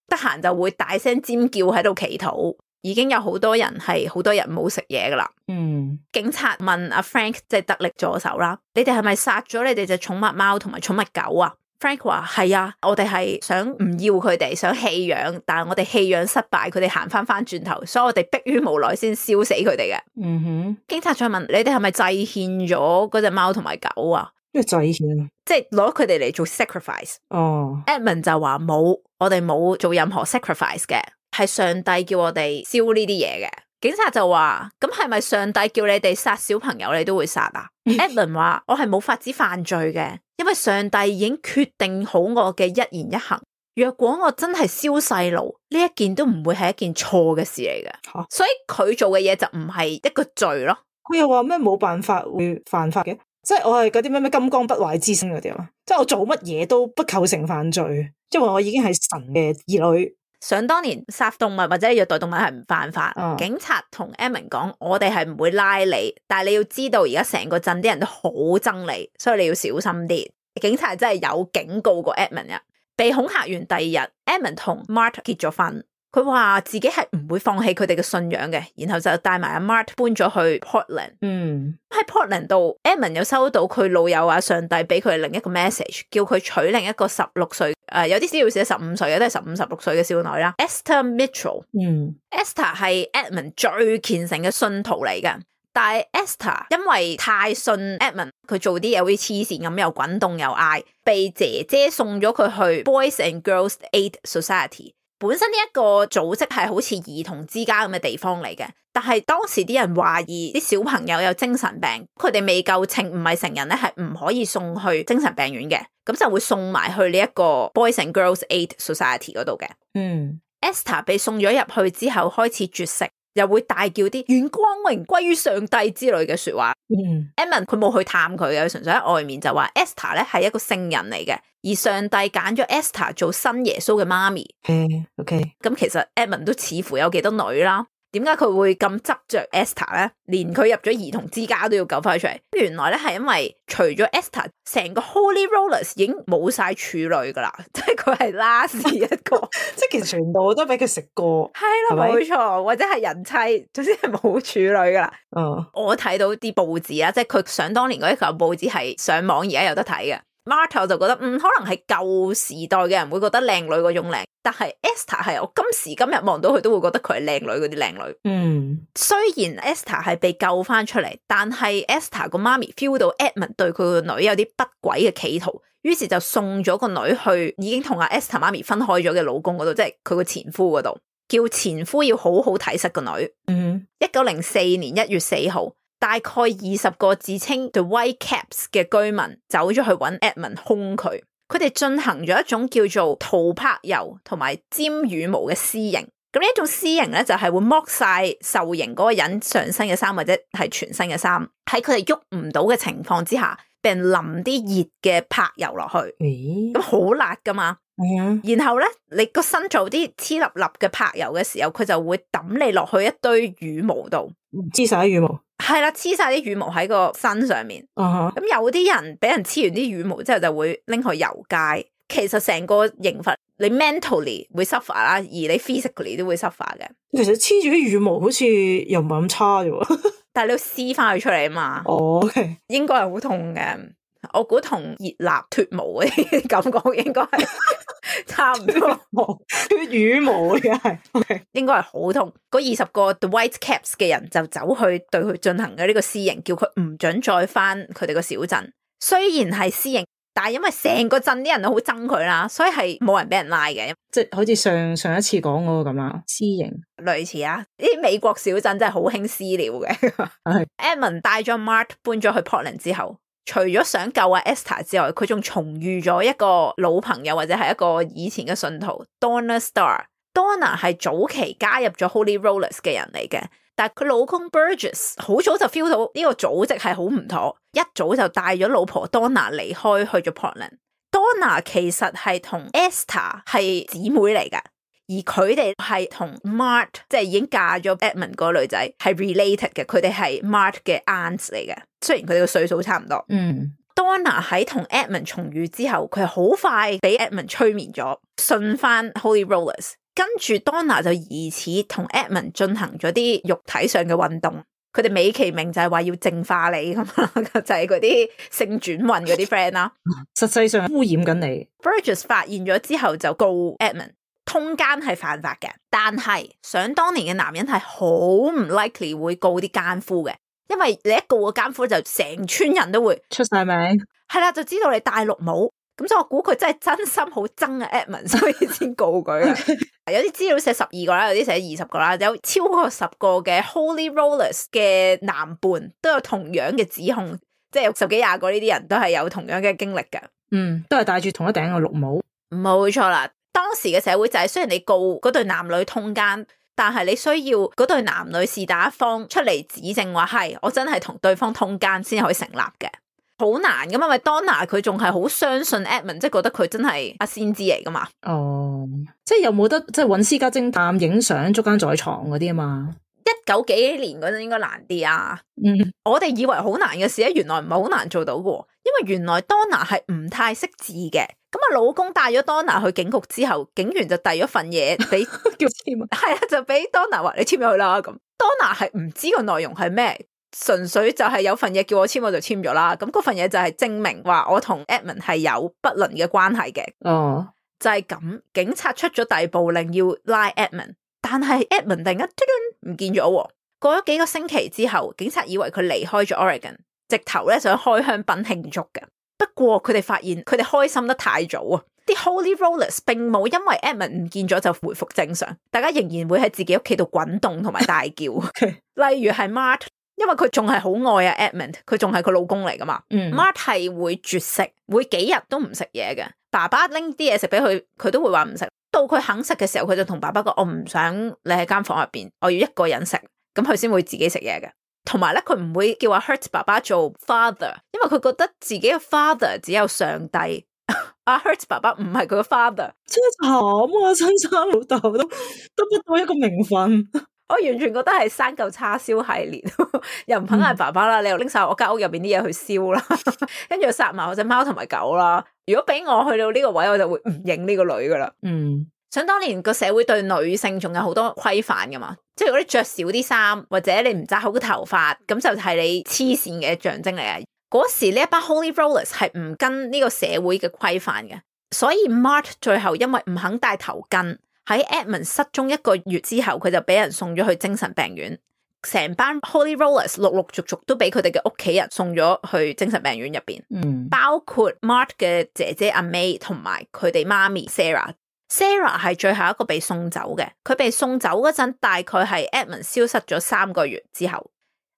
得閒就會大聲尖叫喺度祈禱。已經有好多人係好多日冇食嘢噶啦。嗯，警察問阿 Frank 即係得力助手啦，你哋係咪殺咗你哋隻寵物貓同埋寵物狗啊？ Frank 話係啊，我哋係想唔要佢哋，想棄養，但係我哋棄養失敗，佢哋行翻翻轉頭，所以我哋迫於無奈先燒死佢哋嘅。嗯哼，警察再問你哋係咪祭獻咗嗰隻貓同埋狗啊？咩祭獻啊？即係攞佢哋嚟做 sacrifice。哦 Edmund 就話冇，我哋冇做任何 sacrifice 嘅。係上帝叫我哋燒呢啲嘢嘅。警察就話咁係咪上帝叫你哋殺小朋友你都會殺啊？Edmund 話我係冇法子犯罪嘅，因為上帝已經決定好我嘅一言一行，若果我真係燒細路，呢一件都唔會係一件錯嘅事嚟嘅。啊、所以佢做嘅嘢就唔係一個罪咯。佢又話咩冇辦法會犯法嘅，即係我係嗰啲咩咩金剛不壞之身嗰啲啊，即係我做乜嘢都不構成犯罪，因為我已經係神嘅兒女。想當年殺動物或者虐待動物係唔犯法，哦、警察同 Edmund 講，我哋係唔會拉你，但係你要知道而家成個鎮啲人都好憎你，所以你要小心啲。警察真係有警告過 Edmund 啊。被恐嚇完第二日 Edmund 同 Mart 結咗婚，佢話自己係唔會放棄佢哋嘅信仰嘅，然後就帶埋阿 Mart 搬咗去 Portland。嗯，喺 Portland 度 Edmund 又收到佢老友啊上帝俾佢另一個 message， 叫佢娶另一個十六歲。誒、呃，有啲資料寫十五歲嘅，都係十五、十六歲嘅少女啦。Esther Mitchell，嗯 ，Esther 係 Edmund 最虔誠嘅信徒嚟嘅，但係 Esther 因為太信 Edmund， 佢做啲嘢好似黐線咁，又滾動又嗌，被姐姐送咗佢去 Boys and Girls Aid Society。本身呢一個組織係好似兒童之家咁嘅地方嚟嘅，但係當時啲人懷疑啲小朋友有精神病，佢哋未夠稱，唔係成人咧，係唔可以送去精神病院嘅，咁就會送埋去呢一個 Boys and Girls Aid Society 嗰度嘅。嗯 Esther 被送咗入去之後開始絕食，又會大叫啲願光榮歸於上帝之類嘅說話。嗯 Edmund 佢冇去探佢嘅，純粹喺外面就話 Esther 咧係一個聖人嚟嘅，而上帝揀咗 Esther 做新耶穌嘅媽咪。嗯 OK， 咁其實 Edmund 都似乎有幾多女啦。點解佢會咁執着 Esther 咧？連佢入咗兒童之家都要救翻佢出嚟。原來咧係因為除咗 Esther， 成個 Holy Rollers 已經冇晒處女噶啦，即係佢係 last 一個，即係其實全部都俾佢食過。係啦，冇錯，或者係人妻，總之係冇處女噶啦。嗯，我睇到啲報紙啦，即係佢想當年嗰一嚿報紙係上網而家有得睇嘅。Marta 就覺得嗯，可能係舊時代嘅人會覺得靚女嗰種靚，但係 Esther 係我今時今日望到佢都會覺得佢係靚女嗰啲靚女。嗯，雖然 Esther 係被救翻出嚟，但係 Esther 個媽咪 feel 到 Edmund 對佢個女有啲不軌嘅企圖，於是就送咗個女去已經同阿 Esther 媽咪分開咗嘅老公嗰度，即係佢個前夫嗰度，叫前夫要好好睇實個女。嗯，一九零四年一月四號。大概二十個自稱 The White Caps 嘅居民走咗去揾 Edmund 兇佢，佢哋進行咗一種叫做塗柏油同埋沾羽毛嘅私刑。咁呢一種私刑咧就係會剝晒受刑嗰個人上身嘅衫或者係全身嘅衫，喺佢哋喐唔到嘅情況之下，俾人淋啲熱嘅柏油落去，咁好、欸、辣噶嘛。嗯、然後咧，你個身做啲黐粒粒嘅柏油嘅時候，佢就會抌你落去一堆羽毛度，黐晒羽毛。係啦，黐晒啲羽毛喺個身上面。咁、uh huh. 有啲人俾人黐完啲羽毛之後，就會拎去遊街。其實成個刑罰，你 mentally 會 suffer 啦，而你 physically 都會 suffer 嘅。其實黐住啲羽毛好似又唔係咁差啫。但係你要撕翻佢出嚟啊嘛。哦、oh, okay. 應該係好痛嘅。我估同熱辣脫毛嗰啲感覺應該係差唔多，脫羽毛嘅係，okay. 應該係好痛。嗰二十個 The White Caps 嘅人就走去對佢進行嘅呢個私刑，叫佢唔准再翻佢哋個小鎮。雖然係私刑，但係因為成個鎮啲人都好憎佢啦，所以係冇人俾人拉嘅。即係好似上上一次講嗰個咁啊，私刑類似啊，呢啲美國小鎮真係好興私了嘅。Edmund 帶咗 Mart 搬咗去 Portland 之後，除咗想救阿 Esther 之外，佢仲重遇咗一個老朋友或者係一個以前嘅信徒 Donna Starr。Donna 係早期加入咗 Holy Rollers 嘅人嚟嘅，但係佢老公 Burgess 好早就 feel 到呢個組織係好唔妥，一早就帶咗老婆 Donna 離開去咗 Portland。Donna 其實係同 Esther 係姊妹嚟㗎，而佢哋係同 Mart 即係已經嫁咗 Edmund 嗰個女仔係 related 嘅，佢哋係 Mart 嘅 aunts 嚟嘅，雖然佢哋個歲數差唔多。嗯。Donna 喺同 Edmund 重遇之後，佢好快俾 Edmund 催眠咗，信翻 Holy Rollers。跟住 Donna 就疑似同 Edmund 進行咗啲肉體上嘅運動，佢哋美其名就係話要淨化你咁啦，就係嗰啲性轉運嗰啲 friend 啦。實際上污染緊你。Burgess 發現咗之後就告 Edmund， 通姦係犯法嘅，但係想當年嘅男人係好唔 likely 會告啲姦夫嘅，因為你一告個姦夫就成村人都會出晒名，係啦，就知道你戴綠帽。咁所以我估佢真係真心好憎啊 Edmund， 所以先告佢。有啲資料寫十二個啦，有啲寫二十個啦，有超過十個嘅 Holy Rollers 嘅男伴都有同樣嘅指控，即係有十幾廿個呢啲人都係有同樣嘅經歷嘅。嗯，都係戴住同一頂嘅綠帽。冇錯啦，當時嘅社會就係雖然你告嗰對男女通姦，但係你需要嗰對男女是但一方出嚟指證話係我真係同對方通姦先可以成立嘅。好難噶嘛，因為 Donna 佢仲係好相信 Edmund， 即係覺得佢真係阿先知嚟噶嘛。哦，即係有冇得即係揾私家偵探影相捉奸在床嗰啲啊嘛？一九幾幾年嗰陣應該難啲啊。嗯，我哋以為好難嘅事咧，原來唔係好難做到嘅，因為原來 Donna 係唔太識字嘅。咁啊，老公帶咗 Donna 去警局之後，警員就遞咗份嘢俾叫簽啊，係啊，就俾 Donna 話你簽咗去啦。咁 Donna 係唔知個內容係咩。純粹就係有份嘢叫我簽，我就簽咗啦。咁嗰份嘢就係證明話我同 Edmund 係有不倫嘅關係嘅。哦，就係咁，警察出咗逮捕令要拉 Edmund， 但係 Edmund 突然間唔見咗。過咗幾個星期之後，警察以為佢離開咗 Oregon， 直頭咧想開香檳慶祝嘅。不過佢哋發現佢哋開心得太早啊！啲 Holy Rollers 並冇因為 Edmund 唔見咗就回復正常，大家仍然會喺自己屋企度滾動同埋大叫。例如係 Mart。因為佢仲係好愛啊 Edmund， 佢仲係佢老公嚟噶嘛。嗯、Mart 係會絕食，會幾日都唔食嘢嘅。爸爸拎啲嘢食俾佢，佢都會話唔食。到佢肯食嘅時候，佢就同爸爸講：我唔想你喺間房入邊，我要一個人食。咁佢先會自己食嘢嘅。同埋咧，佢唔會叫阿 Hurt 爸爸做 father， 因為佢覺得自己嘅 father 只有上帝。阿 Hurt 爸爸唔係佢嘅 father， 真係慘啊！親生老豆都得不到一個名分。我完全覺得係生嚿叉燒系列，又唔肯嗌爸爸啦，嗯、你又拎晒我間屋入邊啲嘢去燒啦，跟住殺埋我隻貓同埋狗啦。如果俾我去到呢個位，我就會唔認呢個女噶啦。嗯，想當年個社會對女性仲有好多規範噶嘛，即係如果你着少啲衫，或者你唔紮好個頭髮，咁就係你黐線嘅象徵嚟嘅。嗰時呢一班 Holy Rollers 係唔跟呢個社會嘅規範嘅，所以 Mart 最後因為唔肯戴頭巾。喺 Edmund 失蹤一個月之後，佢就俾人送咗去精神病院。成班 Holy Rollers 陸陸續續都俾佢哋嘅屋企人送咗去精神病院入邊，嗯、包括 Mart 嘅姐姐阿 May 同埋佢哋媽咪 Sarah。Sarah 係最後一個被送走嘅，佢被送走嗰陣大概係 Edmund 消失咗三個月之後。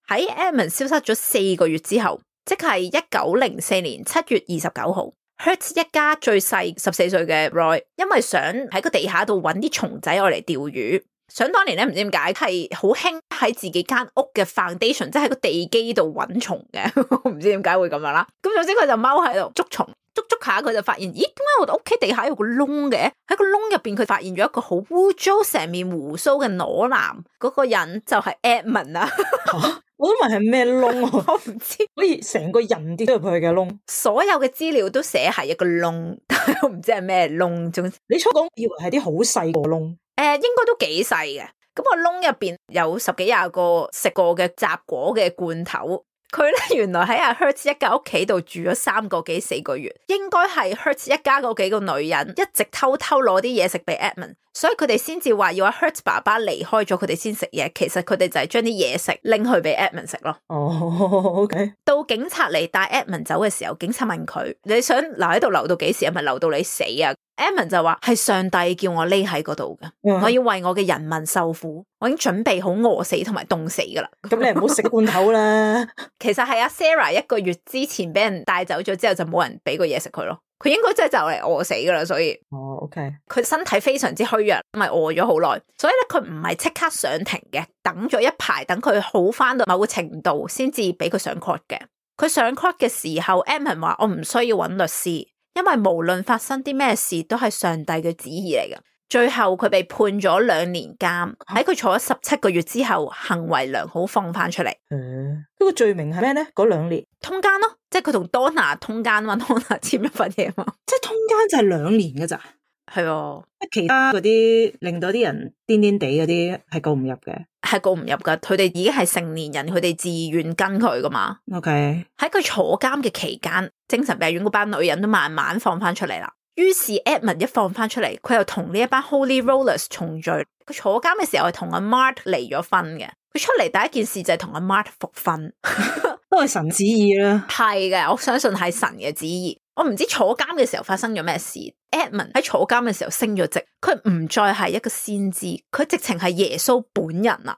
喺 Edmund 消失咗四個月之後，即係一九零四年七月二十九號。Hurt 一家最細十四歲嘅 Roy， 因為想喺個地下度搵啲蟲仔我嚟釣魚。想當年咧，唔知點解係好興喺自己間屋嘅 foundation， 即係喺個地基度搵蟲嘅，我唔知點解會咁樣啦。咁總之佢就踎喺度捉蟲，捉捉下佢就發現，咦，點解我哋屋企地下有個窿嘅？喺個窿入邊佢發現咗一個好污糟成面鬍鬚嘅裸男，嗰、那個人就係 Edmund 啊。我都問係咩窿，我唔知，可以成個人跌咗入去嘅窿。所有嘅資料都寫係一個窿，但係我唔知係咩窿。總之你初講以為係啲好細個窿，誒、呃，應該都幾細嘅。咁個窿入邊有十幾廿個食過嘅雜果嘅罐頭，佢咧原來喺阿 Hertz 一家屋企度住咗三個幾四個月，應該係 Hertz 一家嗰幾個女人一直偷偷攞啲嘢食俾 Edmund， 所以佢哋先至話要阿 Hertz 爸爸離開咗佢哋先食嘢，其實佢哋就係將啲嘢食拎去俾 Edmund 食咯。哦 ，OK。到警察嚟帶 Edmund 走嘅時候，警察問佢：你想留喺度留到幾時？係咪留到你死啊？Edmund 就話係上帝叫我匿喺嗰度嘅，嗯、我要為我嘅人民受苦，我已經準備好餓死同埋凍死噶啦。咁你唔好食罐頭啦。其實係阿 Sarah 一個月之前俾人帶走咗之後，就冇人俾過嘢食佢咯。佢應該真係就嚟餓死噶啦，所以哦 ，OK。佢身體非常之虛弱，咪餓咗好耐，所以咧佢唔係即刻上庭嘅，等咗一排，等佢好翻到某個程度，先至俾佢上 court 嘅。佢上 court 嘅時候 Edmund 話：我唔需要揾律師。因為無論發生啲咩事都係上帝嘅旨意嚟嘅。最後佢被判咗兩年監，喺佢坐咗十七個月之後，行為良好放翻出嚟。嗯，嗰個罪名係咩咧？嗰兩年通姦咯，即係佢同 Donna 通姦嘛 ，Donna 簽咗份嘢嘛，即係通姦就係兩年㗎咋。係哦，其他嗰啲令到啲人癲癲地嗰啲係告唔入嘅，係告唔入噶。佢哋已經係成年人，佢哋自願跟佢噶嘛。OK，喺佢坐監嘅期間，精神病院嗰班女人都慢慢放翻出嚟啦。於是 Edmund 一放翻出嚟，佢又同呢一班 Holy Rollers 重聚。佢坐監嘅時候係同阿 Mart 離咗婚嘅。佢出嚟第一件事就係同阿 Mart 復婚，都係神旨意啦。係嘅，我相信係神嘅旨意。我唔知坐監嘅時候發生咗咩事。Edmund 喺坐監嘅時候升咗職，佢唔再係一個先知，佢直情係耶穌本人啊！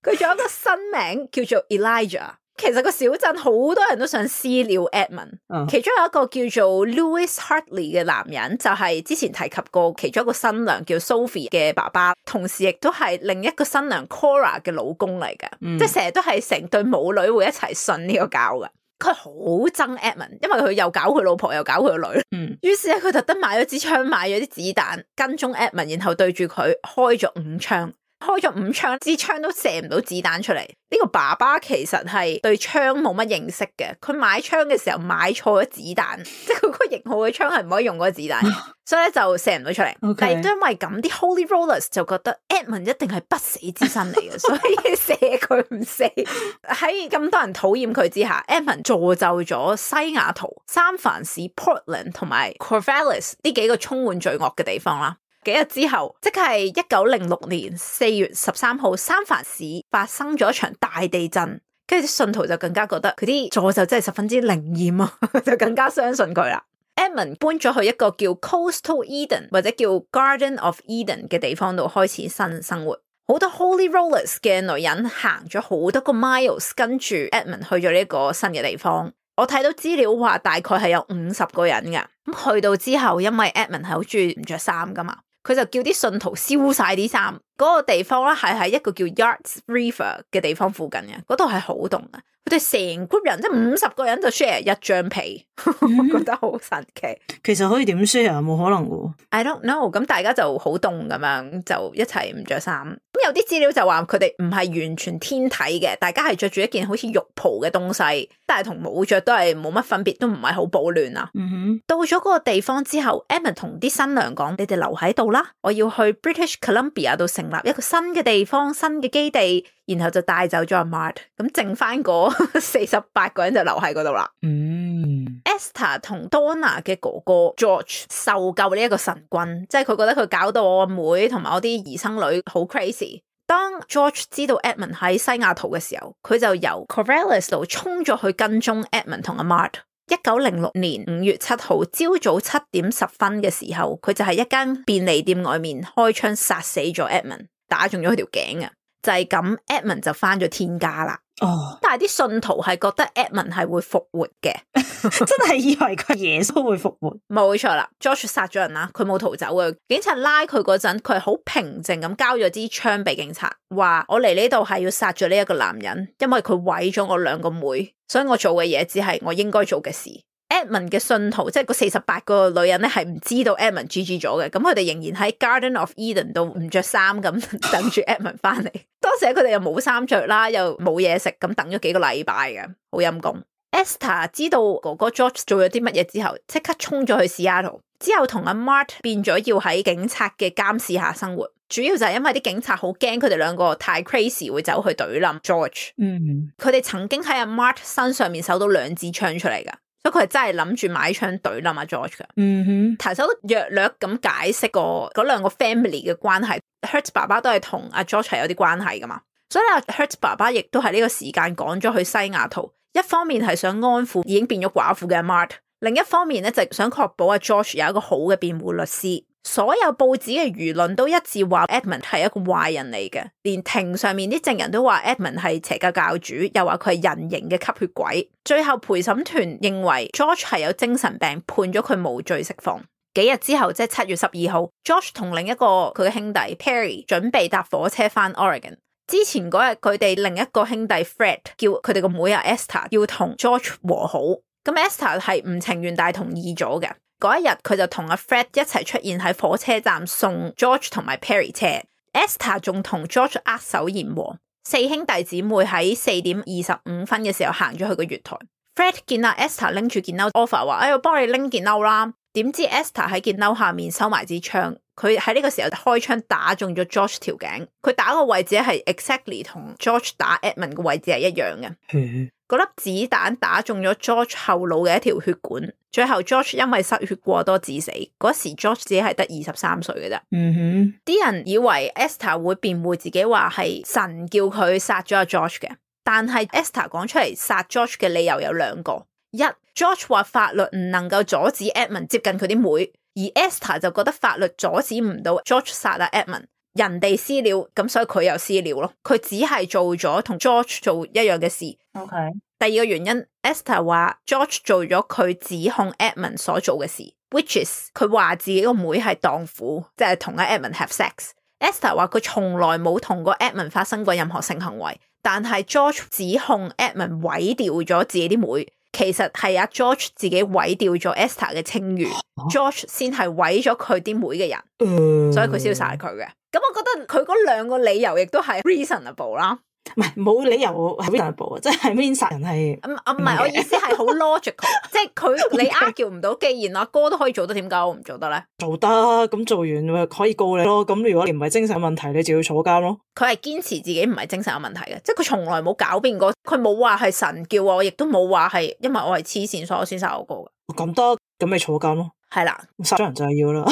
佢仲有一個新名叫做 Elijah。其實個小鎮好多人都想私了 Edmund，、oh. 其中有一個叫做 Louis Hartley 嘅男人，就係、是、之前提及過其中一個新娘叫 Sophie 嘅爸爸，同時亦都係另一個新娘 Cora 嘅老公嚟嘅，mm. 即係成日都係成對母女會一齊信呢個教嘅。佢好憎 Edmund， 因為佢又搞佢老婆又搞佢個女，嗯，於是咧佢特登買咗支槍，買咗啲子彈跟蹤 Edmund， 然後對住佢開咗五槍。開咗五槍，支槍都射唔到子彈出嚟。呢個爸爸其實係對槍冇乜認識嘅，佢買槍嘅時候買錯咗子彈，即係佢個型號嘅槍係唔可以用嗰個子彈，所以咧就射唔到出嚟。Okay. 但係都因為咁，啲 Holy Rollers 就覺得 Edmund 一定係不死之身嚟嘅，所以射佢唔死。喺咁多人討厭佢之下 ，Edmund 造就咗西雅圖、三藩市、Portland 同埋 Corvallis 呢幾個充滿罪惡嘅地方啦。幾日之後，即係一九零六年四月十三號，三藩市發生咗一場大地震，跟住啲信徒就更加覺得佢啲詛咒真係十分之靈驗啊，就更加相信佢啦。Edmund 搬咗去一個叫 Coastal Eden 或者叫 Garden of Eden 嘅地方度開始新生活。好多 Holy Rollers 嘅女人行咗好多個 miles 跟住 Edmund 去咗呢個新嘅地方。我睇到資料話大概係有五十個人㗎。咁去到之後，因為 Edmund 係好中意唔着衫噶嘛，佢就叫啲信徒燒晒啲衫。嗰個地方咧係喺一個叫 Yards River 嘅地方附近嘅，嗰度係好凍嘅。佢哋成 group 人即係五十個人就 share 一張被，我覺得好神奇。其實可以點 share？冇可能嘅。I don't know。咁大家就好凍咁樣，就一齊唔着衫。咁有啲資料就話佢哋唔係完全天體嘅，大家係着住一件好似浴袍嘅東西，但係同冇着都係冇乜分別，都唔係好保暖啊。Mm hmm. 到咗嗰個地方之後 Edmund 同啲新娘講：你哋留喺度啦，我要去 British Columbia 度成立一個新嘅地方、新嘅基地。然後就帶走咗阿 Mart， 咁剩翻嗰四十八個人就留喺嗰度啦。嗯 Esther 同 Donna 嘅哥哥 George 受夠呢一個神棍，即係佢覺得佢搞到我阿妹同埋我啲兒生女好 crazy。當 George 知道 Edmund 喺西雅圖嘅時候，佢就由 Corvallis 度衝咗去跟蹤 Edmund 同阿 Mart。一九零六年五月七號朝早七點十分嘅時候，佢就喺一間便利店外面開槍殺死咗 Edmund， 打中咗佢條頸啊！就係咁 Edmund 就翻咗天家啦。哦，oh. 但係啲信徒係覺得 Edmund 係會復活嘅，真係以為佢耶穌會復活。冇錯啦 ，George 殺咗人啦，佢冇逃走嘅。警察拉佢嗰陣，佢係好平靜咁交咗支槍俾警察，話我嚟呢度係要殺咗呢一個男人，因為佢毀咗我兩個妹，所以我做嘅嘢只係我應該做嘅事。Edmund 嘅信徒即係嗰四十八個女人咧，係唔知道 Edmund G G 咗嘅，咁佢哋仍然喺 Garden of Eden 度唔着衫咁等住 Edmund 翻嚟。當時佢哋又冇衫着啦，又冇嘢食，咁等咗幾個禮拜嘅，好陰功。Esther 知道哥哥 George 做咗啲乜嘢之後，即刻衝咗去 Seattle，之後同阿 Mart 變咗要喺警察嘅監視下生活。主要就係因為啲警察好驚佢哋兩個太 crazy 會走去懟冧 George。嗯，佢哋曾經喺阿 Mart 身上面搜到兩支槍出嚟噶，所以佢係真係諗住買槍懟冧阿 George 噶。嗯哼，提手略略咁解釋過嗰兩個 family 嘅關係。Hurt 爸爸都係同阿 George 係有啲關係噶嘛，所以阿 Hurt 爸爸亦都係呢個時間趕咗去西雅圖，一方面係想安撫已經變咗寡婦嘅 Mart， 另一方面咧就想確保阿 George 有一個好嘅辯護律師。所有報紙嘅輿論都一致話 Edmund 係一個壞人嚟嘅，連庭上面啲證人都話 Edmund 係邪教教主，又話佢係人形嘅吸血鬼。最後陪審團認為 George 係有精神病，判咗佢無罪釋放。幾日之後，即係七月十二號 George 同另一個佢嘅兄弟 Perry 準備搭火車翻 Oregon。之前嗰日佢哋另一個兄弟 Fred 叫佢哋個妹阿 Esther 要同 George 和好，咁 Esther 係唔情願但係同意咗嘅。嗰一日佢就同阿 Fred 一齊出現喺火車站送 George 同埋 Perry 車。Esther 仲同 George 握手言和。四兄弟姊妹喺四點二十五分嘅時候行咗去個月台。Fred 見阿 Esther 拎住件褸 offer 話：哎，我幫你拎件褸啦。點知 Esther 喺件褸下面收埋支槍，佢喺呢個時候開槍打中咗 George 條頸。佢打個位置係 exactly 同 George 打 Edmund 嘅位置係一樣嘅。嗰粒子彈打中咗 George 後腦嘅一條血管，最後 George 因為失血過多致死。嗰時 George 只係得二十三歲嘅啫。嗯哼，啲人以為 Esther 會辯護自己話係神叫佢殺咗阿 George 嘅，但係 Esther 講出嚟殺 George 嘅理由有兩個。一 George 話法律唔能夠阻止 Edmund 接近佢啲妹，而 Esther 就覺得法律阻止唔到 George 殺阿 Edmund， 人哋私了，咁所以佢又私了咯。佢只係做咗同 George 做一樣嘅事。OK。第二個原因 Esther 話 George 做咗佢指控 Edmund 所做嘅事 ，which is 佢話自己個妹係蕩婦，即係同阿 Edmund have sex。Esther 話佢從來冇同過 Edmund 發生過任何性行為，但係 George 指控 Edmund 毀掉咗自己啲妹。其實係阿 George 自己毀掉咗 Esther 嘅清譽，啊、George 先係毀咗佢啲妹嘅人，嗯、所以佢先要殺佢嘅。咁我覺得佢嗰兩個理由亦都係 reasonable 啦。唔係冇理由係 reasonable，即係 mean 殺人係唔唔係我意思係好 logical， 即係佢你 argue 唔到，既然阿哥都可以做得，點解我唔做得咧？做得，咁做完咪可以告你咯。咁如果你唔係精神問題，你就要坐監咯。佢係堅持自己唔係精神有問題嘅，即係佢從來冇狡辯過，佢冇話係神叫我，亦都冇話係因為我係黐線所以我先殺我哥嘅。咁得，咁咪坐監咯。係啦，殺咗人就係要啦。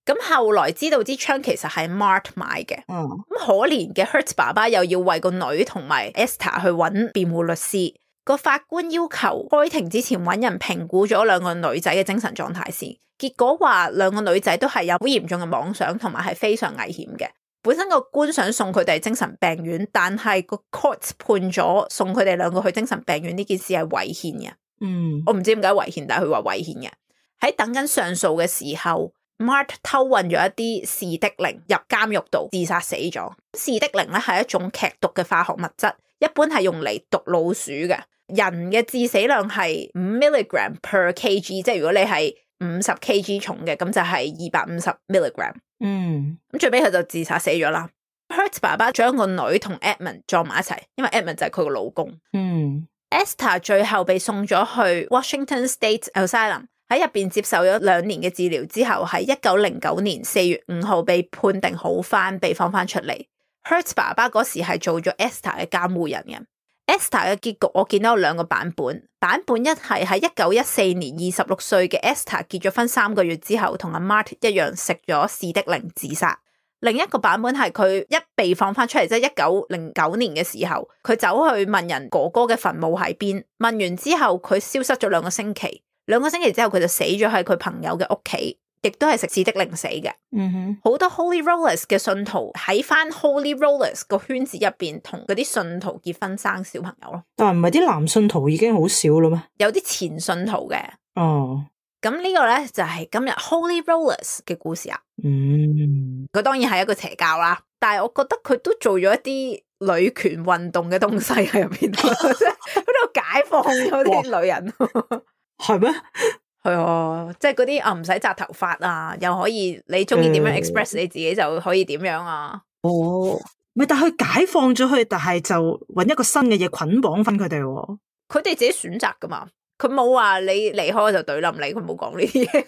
咁後來知道支槍其實係 Mart 買嘅，咁、嗯、可憐嘅 Hurt 爸爸又要為個女同埋 Esther 去揾辯護律師。個法官要求開庭之前揾人評估咗兩個女仔嘅精神狀態先，結果話兩個女仔都係有好嚴重嘅妄想同埋係非常危險嘅。本身個官想送佢哋精神病院，但係個 court 判咗送佢哋兩個去精神病院呢件事係違憲嘅。嗯，我唔知點解違憲，但係佢話違憲嘅。喺等緊上訴嘅時候，Mart 偷運咗一啲士的靈入監獄度自殺死咗。士的靈咧係一種劇毒嘅化學物質，一般係用嚟毒老鼠嘅。人嘅致死量係五 milligram per kg， 即係如果你係五十 kg 重嘅，咁就係二百五十 milligram。嗯，咁最尾佢就自殺死咗啦。Hurt 爸爸將個女同 Edmund 撞埋一齊，因為 Edmund 就係佢個老公。嗯 ，Esther 最後被送咗去 Washington State Asylum。喺入邊接受咗兩年嘅治療之後，喺一九零九年四月五號被判定好翻，被放翻出嚟。Hurt 爸爸嗰時係做咗 Esther 嘅監護人嘅。Esther 嘅結局我見到有兩個版本，版本一係喺一九一四年二十六歲嘅 Esther 結咗婚三個月之後，同阿 Mart 一樣食咗士的靈自殺。另一個版本係佢一被放翻出嚟，即係一九零九年嘅時候，佢走去問人哥哥嘅墳墓喺邊，問完之後佢消失咗兩個星期。兩個星期之後佢就死咗喺佢朋友嘅屋企，亦都係食士的靈死嘅。嗯哼，好多 Holy Rollers 嘅信徒喺翻 Holy Rollers 個圈子入邊同嗰啲信徒結婚生小朋友咯。但係唔係啲男信徒已經好少啦咩？有啲前信徒嘅。哦，咁呢個咧就係今日 Holy Rollers 嘅故事啊。嗯，佢當然係一個邪教啦，但係我覺得佢都做咗一啲女權運動嘅東西喺入邊，即係喺度解放咗啲女人。係咩？係啊，即係嗰啲啊，唔使紮頭髮啊，又可以你中意點樣 express 你自己就可以點樣啊。哦，唔係，但係佢解放咗佢，但係就搵一個新嘅嘢捆綁翻佢哋。佢哋自己選擇噶嘛。佢冇話你離開我就懟冧你，佢冇講呢啲嘢。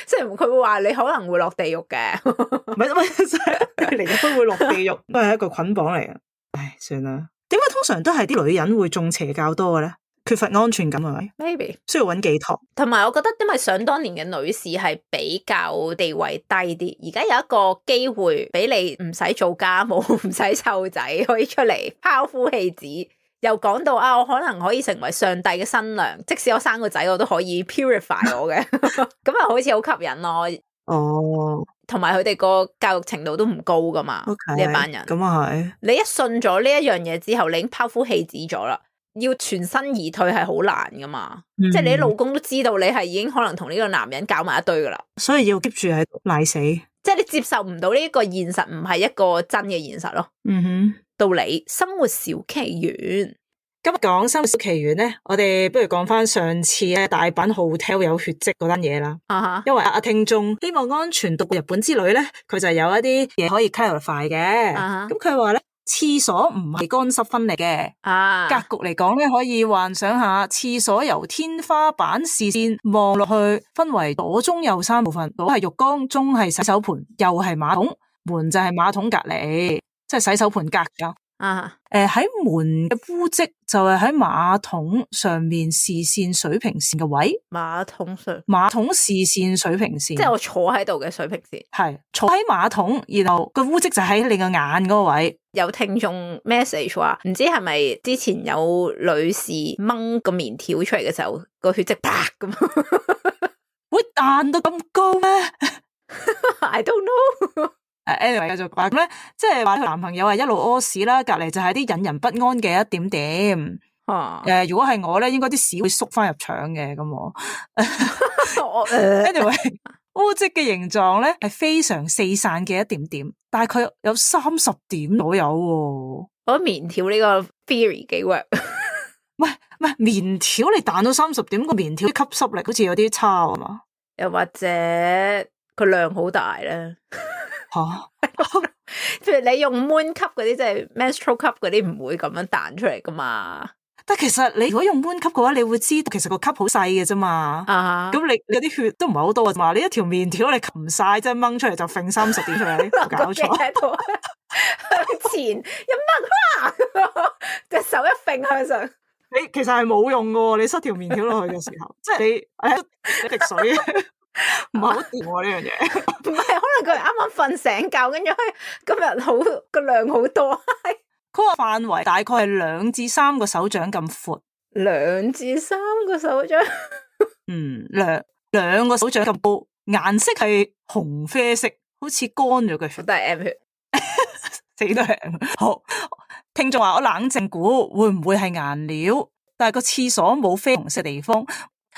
雖然佢會話你可能會落地獄嘅，唔係唔係，離咗婚會落地獄，都係一個捆綁嚟嘅。唉，算啦。點解通常都係啲女人會中邪教多嘅咧？缺乏安全感係咪 ？Maybe 需要揾寄託。同埋我覺得，因為想當年嘅女士係比較地位低啲，而家有一個機會俾你唔使做家務，唔使湊仔，可以出嚟拋夫棄子。又講到啊，我可能可以成為上帝嘅新娘，即使我生個仔，我都可以 purify 我嘅，咁啊好似好吸引咯。哦，同埋佢哋個教育程度都唔高噶嘛，呢、okay, 一班人。咁啊係。你一信咗呢一樣嘢之後，你已經拋夫棄子咗啦，要全身而退係好難噶嘛。嗯、即係你啲老公都知道你係已經可能同呢個男人搞埋一堆噶啦，所以要 keep 住喺度賴死。即係你接受唔到呢個現實，唔係一個真嘅現實咯。嗯哼，道理生活小奇緣。今日講生活小奇緣咧，我哋不如講翻上次咧大阪 hotel 有血跡嗰單嘢啦。啊、uh-huh. 因為阿聽眾希望安全到日本之旅咧，佢就有一啲嘢可以 clarify 嘅。咁佢話咧，廁所唔係乾濕分離嘅。啊、uh-huh. 格局嚟講咧，可以幻想下廁所由天花板視線望落去，分為左中右三部分，左係浴缸，中係洗手盆，右係馬桶，門就係馬桶隔籬，即係洗手盆隔噶。啊，誒喺門嘅污漬就係喺馬桶上面視線水平線嘅位，馬桶上馬桶視線水平線，即係我坐喺度嘅水平線，係坐喺馬桶，然後個污漬就喺你個眼嗰個位。有聽眾 message 話，唔知係咪之前有女士掹個棉條出嚟嘅時候，個血跡啪咁，會彈到咁高咩？I don't know。誒 ，anyway 繼續話咁咧，即係話佢男朋友係一路屙屎啦，隔籬就係啲引人不安嘅一點點。啊，誒、呃，如果係我咧，應該啲屎會縮翻入腸嘅咁我。anyway，污漬嘅形狀咧係非常四散嘅一點點，大概有三十點左右。我覺得棉條呢個 theory 幾 work。喂，唔係棉條你彈到三十點，個棉條吸濕力好似有啲差啊嘛？又或者佢量好大咧？吓，譬如你用 moon cup 嗰啲，即係 menstrual cup 嗰啲，唔會咁樣彈出嚟噶嘛？但其實你如果用 moon cup 嘅話，你會知道其實個 cup 好細嘅啫嘛。啊，咁你你啲血都唔係好多嘅嘛？你一條麵條你擒晒，即係掹出嚟就揈三十點出嚟，搞錯。向前一掹，隻手一揈向上，你其實係冇用嘅。你塞條麵條落去嘅時候，即係你你滴水。唔係好掂喎呢樣嘢，唔係可能佢啱啱瞓醒覺，跟住今日好個量好多。佢個範圍大概係兩至三個手掌咁闊，兩至三個手掌，嗯，兩兩個手掌咁高，顏色係紅啡色，好似乾咗嘅血，都係 M 血，死都係 M。好，聽眾話我冷靜估會唔會係顏料，但係個廁所冇啡紅色地方。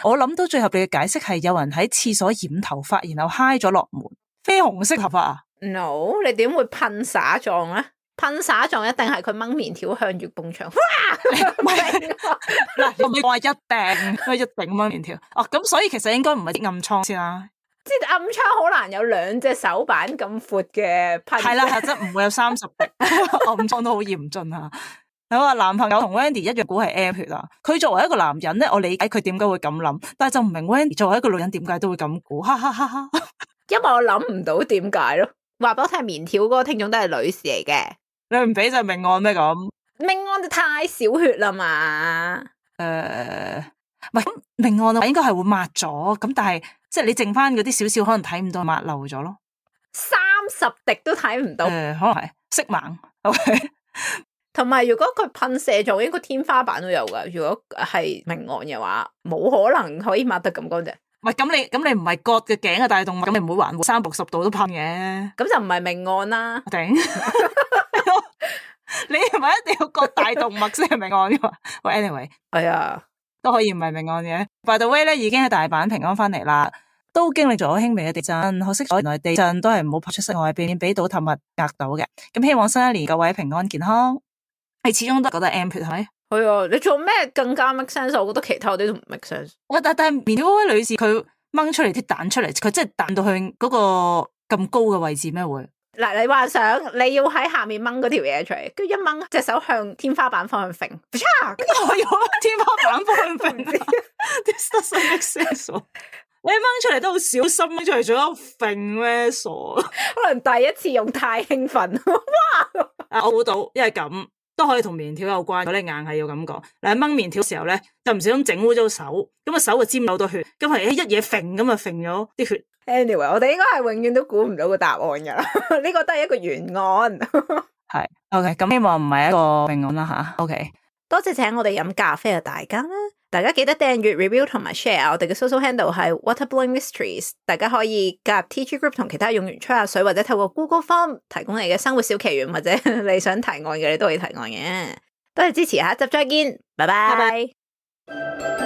我諗到最合理嘅解釋係有人喺廁所染頭髮，然後揩咗落門，啡紅色頭髮啊 ？No， 你點會噴灑狀咧？噴灑狀一定係佢掹棉條向住埲牆，哇！唔係嗱，你話一定，一定掹棉條哦。咁所以其實應該唔係啲暗瘡先啦。即係暗瘡好難有兩隻手板咁闊嘅噴。係啦，係真唔會有三十滴暗瘡都好嚴峻啊。你話男朋友同 Wendy 一樣估係 M 血啊？佢作為一個男人咧，我理解佢點解會咁諗，但係就唔明 Wendy 作為一個女人點解都會咁估，哈哈哈哈！因為我諗唔到點解咯。話俾我聽，棉條嗰個聽眾都係女士嚟嘅，你唔俾就命案咩咁？命案就太少血啦嘛。誒、呃，唔係咁命案啊，應該係會抹咗，咁但係即係你剩翻嗰啲少少，可能睇唔到，抹漏咗咯。三十滴都睇唔到，誒、呃，可能係色盲。OK。同埋，如果佢噴射狀，應該天花板都有噶。如果係命案嘅話，冇可能可以抹得咁乾淨。唔係咁，你咁你唔係割嘅頸嘅大動物，咁你唔會環三百六十度都噴嘅。咁就唔係命案啦。頂，你係咪一定要割大動物先係命案噶嘛？喂 ，anyway，係啊，都可以唔係命案嘅。By the way 咧，已經喺大阪平安翻嚟啦，都經歷咗輕微嘅地震，可惜原來地震都係唔好跑出室外，避免俾倒塌物壓到嘅。咁希望新一年各位平安健康。你始終都覺得 M 血係咪？係啊，你做咩更加 make sense？我覺得其他嗰啲都唔 make sense。我但但棉條嗰位女士佢掹出嚟啲彈出嚟，佢真係彈到去嗰個咁高嘅位置咩會？嗱，你幻想你要喺下面掹嗰條嘢出嚟，跟住一掹隻手向天花板方向揈，咁我要天花板方向揈，真係傻。你掹出嚟都好小心，掹出嚟仲有揈咩傻？可能第一次用太興奮，哇！啊，我估到，因為咁都可以同棉條有關。如果你硬係要咁講，嗱掹棉條嘅時候咧，就唔小心整污咗手，咁個手就沾到好多血，咁係一嘢揈咁啊揈咗啲血。Anyway，我哋應該係永遠都估唔到個答案噶啦，呢個都係一個懸案。係 OK， 咁希望唔係一個懸案啦吓。OK， 多謝請我哋飲咖啡嘅大家啦，大家記得訂閱、review 同埋 share。我哋嘅 social handle 係 Waterblowing Mysteries， 大家可以加入 T G group 同其他用員吹下水，或者透過 Google Form 提供你嘅生活小奇緣，或者你想提案嘅，你都可以提案嘅。多謝支持，下一集再見，拜拜。拜拜。